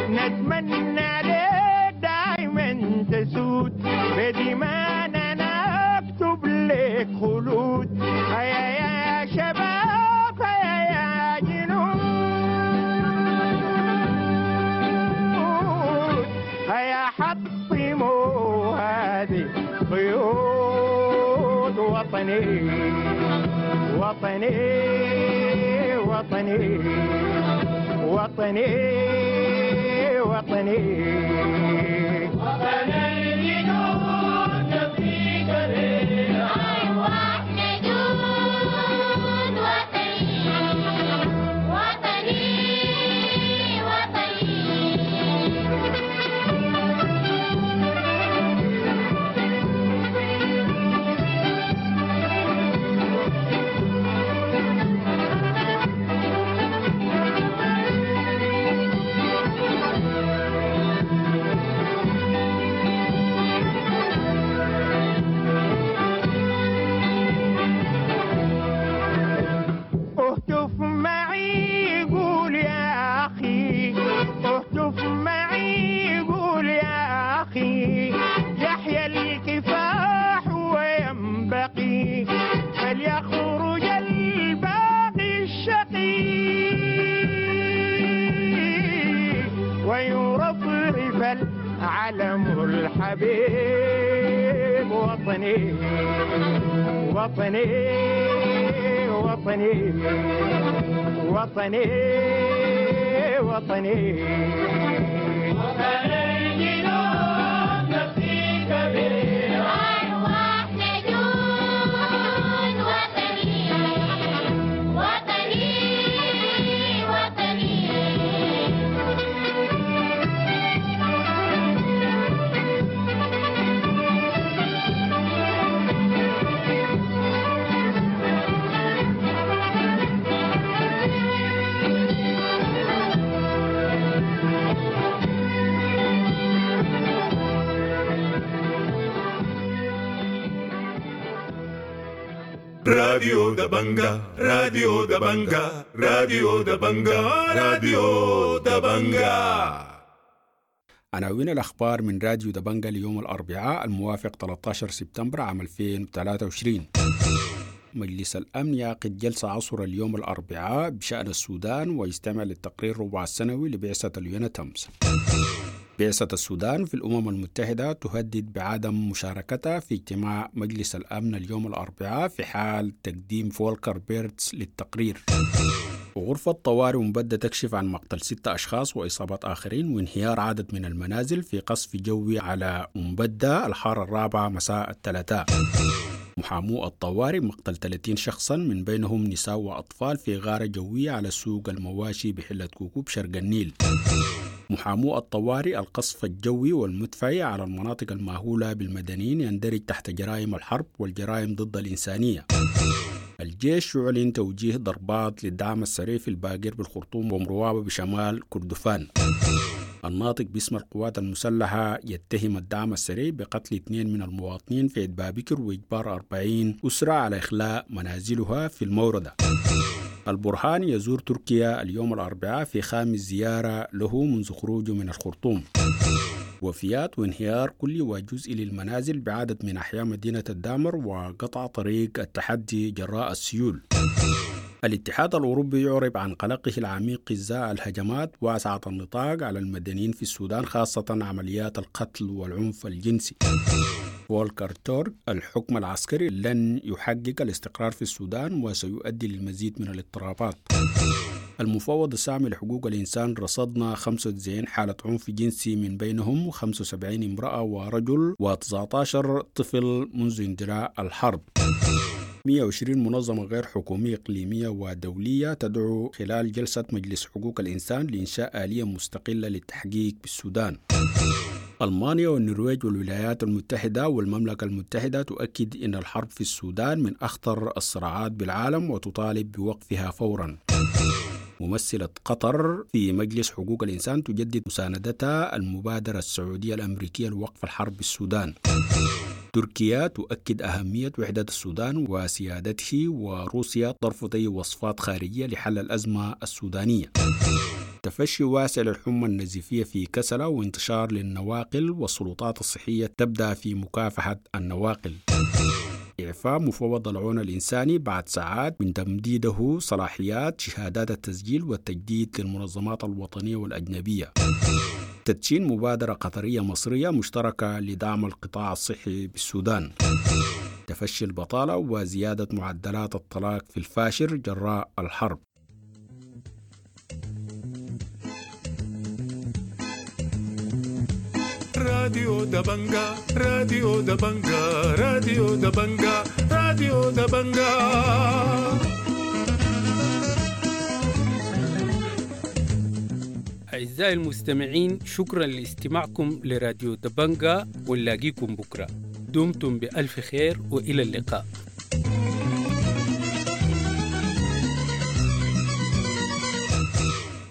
نتمنى لك دائما تسود بدمانا نكتب لك خلود. هيا يا شباب هيا يا جنود، هيا حطموا هذه قيود. وطني وطني وطني وطني وطني وطن الجدود نفديك بالأرواح نجود وطني وطني وطني. اهتف معي قول يا أخي، اهتف معي قول يا أخي، يحيا الكفاح وينبغي فليخرج الباقي الشقي ويرفرف العلم الحبيب. وطني وطني وطني وطني وطني وطن الجدود نفديك بالأرواح نجود وطني وطني وطني. راديو دبنجا، راديو دبنجا، راديو دبنجا، راديو دبنجا. عناوين الأخبار من راديو دبنجا ليوم الأربعاء الموافق 13 سبتمبر عام 2023. مجلس الأمن يعقد جلسة عصر اليوم الأربعاء بشأن السودان ويستمع للتقرير ربع السنوي لبعثة اليونتامس. بعثة السودان في الأمم المتحدة تهدد بعدم مشاركتها في اجتماع مجلس الأمن اليوم الأربعاء في حال تقديم فولكر بيرتس للتقرير. وغرفة طوارئ مبدة تكشف عن مقتل 6 أشخاص وإصابة آخرين وانهيار عدد من المنازل في قصف جوي على مبدة الحارة الرابعة مساء الثلاثاء. محامو الطوارئ مقتل 30 شخصا من بينهم نساء وأطفال في غارة جوية على سوق المواشي بحلة كوكوب شرق النيل. محامو الطوارئ القصف الجوي والمدفعي على المناطق المأهولة بالمدنيين يندرج تحت جرائم الحرب والجرائم ضد الإنسانية. الجيش يعلن توجيه ضربات للدعم السريع في الباقر بالخرطوم ومروابة بشمال كردفان. الناطق باسم القوات المسلحة يتهم الدعم السريع بقتل 2 من المواطنين في بابكر وإجبار 40 أسرة على إخلاء منازلها في الموردة. البرهان يزور تركيا اليوم الأربعاء في خامس زيارة له منذ خروجه من الخرطوم. وفيات وانهيار كلي وجزئي للمنازل بعدد من أحياء مدينة الدامر وقطع طريق التحدي جراء السيول. الاتحاد الأوروبي يعرب عن قلقه العميق إزاء الهجمات واسعة النطاق على المدنيين في السودان، خاصة عمليات القتل والعنف الجنسي. فولكر تورك: الحكم العسكري لن يحقق الاستقرار في السودان وسيؤدي للمزيد من الاضطرابات. المفوض السامي لحقوق الإنسان: رصدنا 95 حالة عنف جنسي من بينهم 75 امرأة ورجل و19 طفل منذ اندلاع الحرب. 120 منظمة غير حكومية إقليمية ودولية تدعو خلال جلسة مجلس حقوق الإنسان لإنشاء آلية مستقلة للتحقيق بالسودان. ألمانيا والنرويج والولايات المتحدة والمملكة المتحدة تؤكد أن الحرب في السودان من أخطر الصراعات بالعالم وتطالب بوقفها فورا. ممثلة قطر في مجلس حقوق الإنسان تجدد مساندتها المبادرة السعودية الأمريكية لوقف الحرب بالسودان. تركيا تؤكد أهمية وحدة السودان وسيادته، وروسيا ترفض أي وصفات خارجية لحل الأزمة السودانية. تفشي واسع للحمى النزيفية في كسلة وانتشار للنواقل، والسلطات الصحية تبدأ في مكافحة النواقل. إعفاء مفوض العون الإنساني بعد ساعات من تمديده صلاحيات شهادات التسجيل والتجديد للمنظمات الوطنية والأجنبية. تدشين مبادرة قطرية مصرية مشتركة لدعم القطاع الصحي بالسودان. تفشي البطالة وزيادة معدلات الطلاق في الفاشر جراء الحرب. راديو دبنجا، راديو دبنجا، راديو دبنجا، راديو دبنجا. أعزائي المستمعين، شكرا لاستماعكم لراديو دبنجا، ونلاقيكم بكرة. دمتم بألف خير وإلى اللقاء.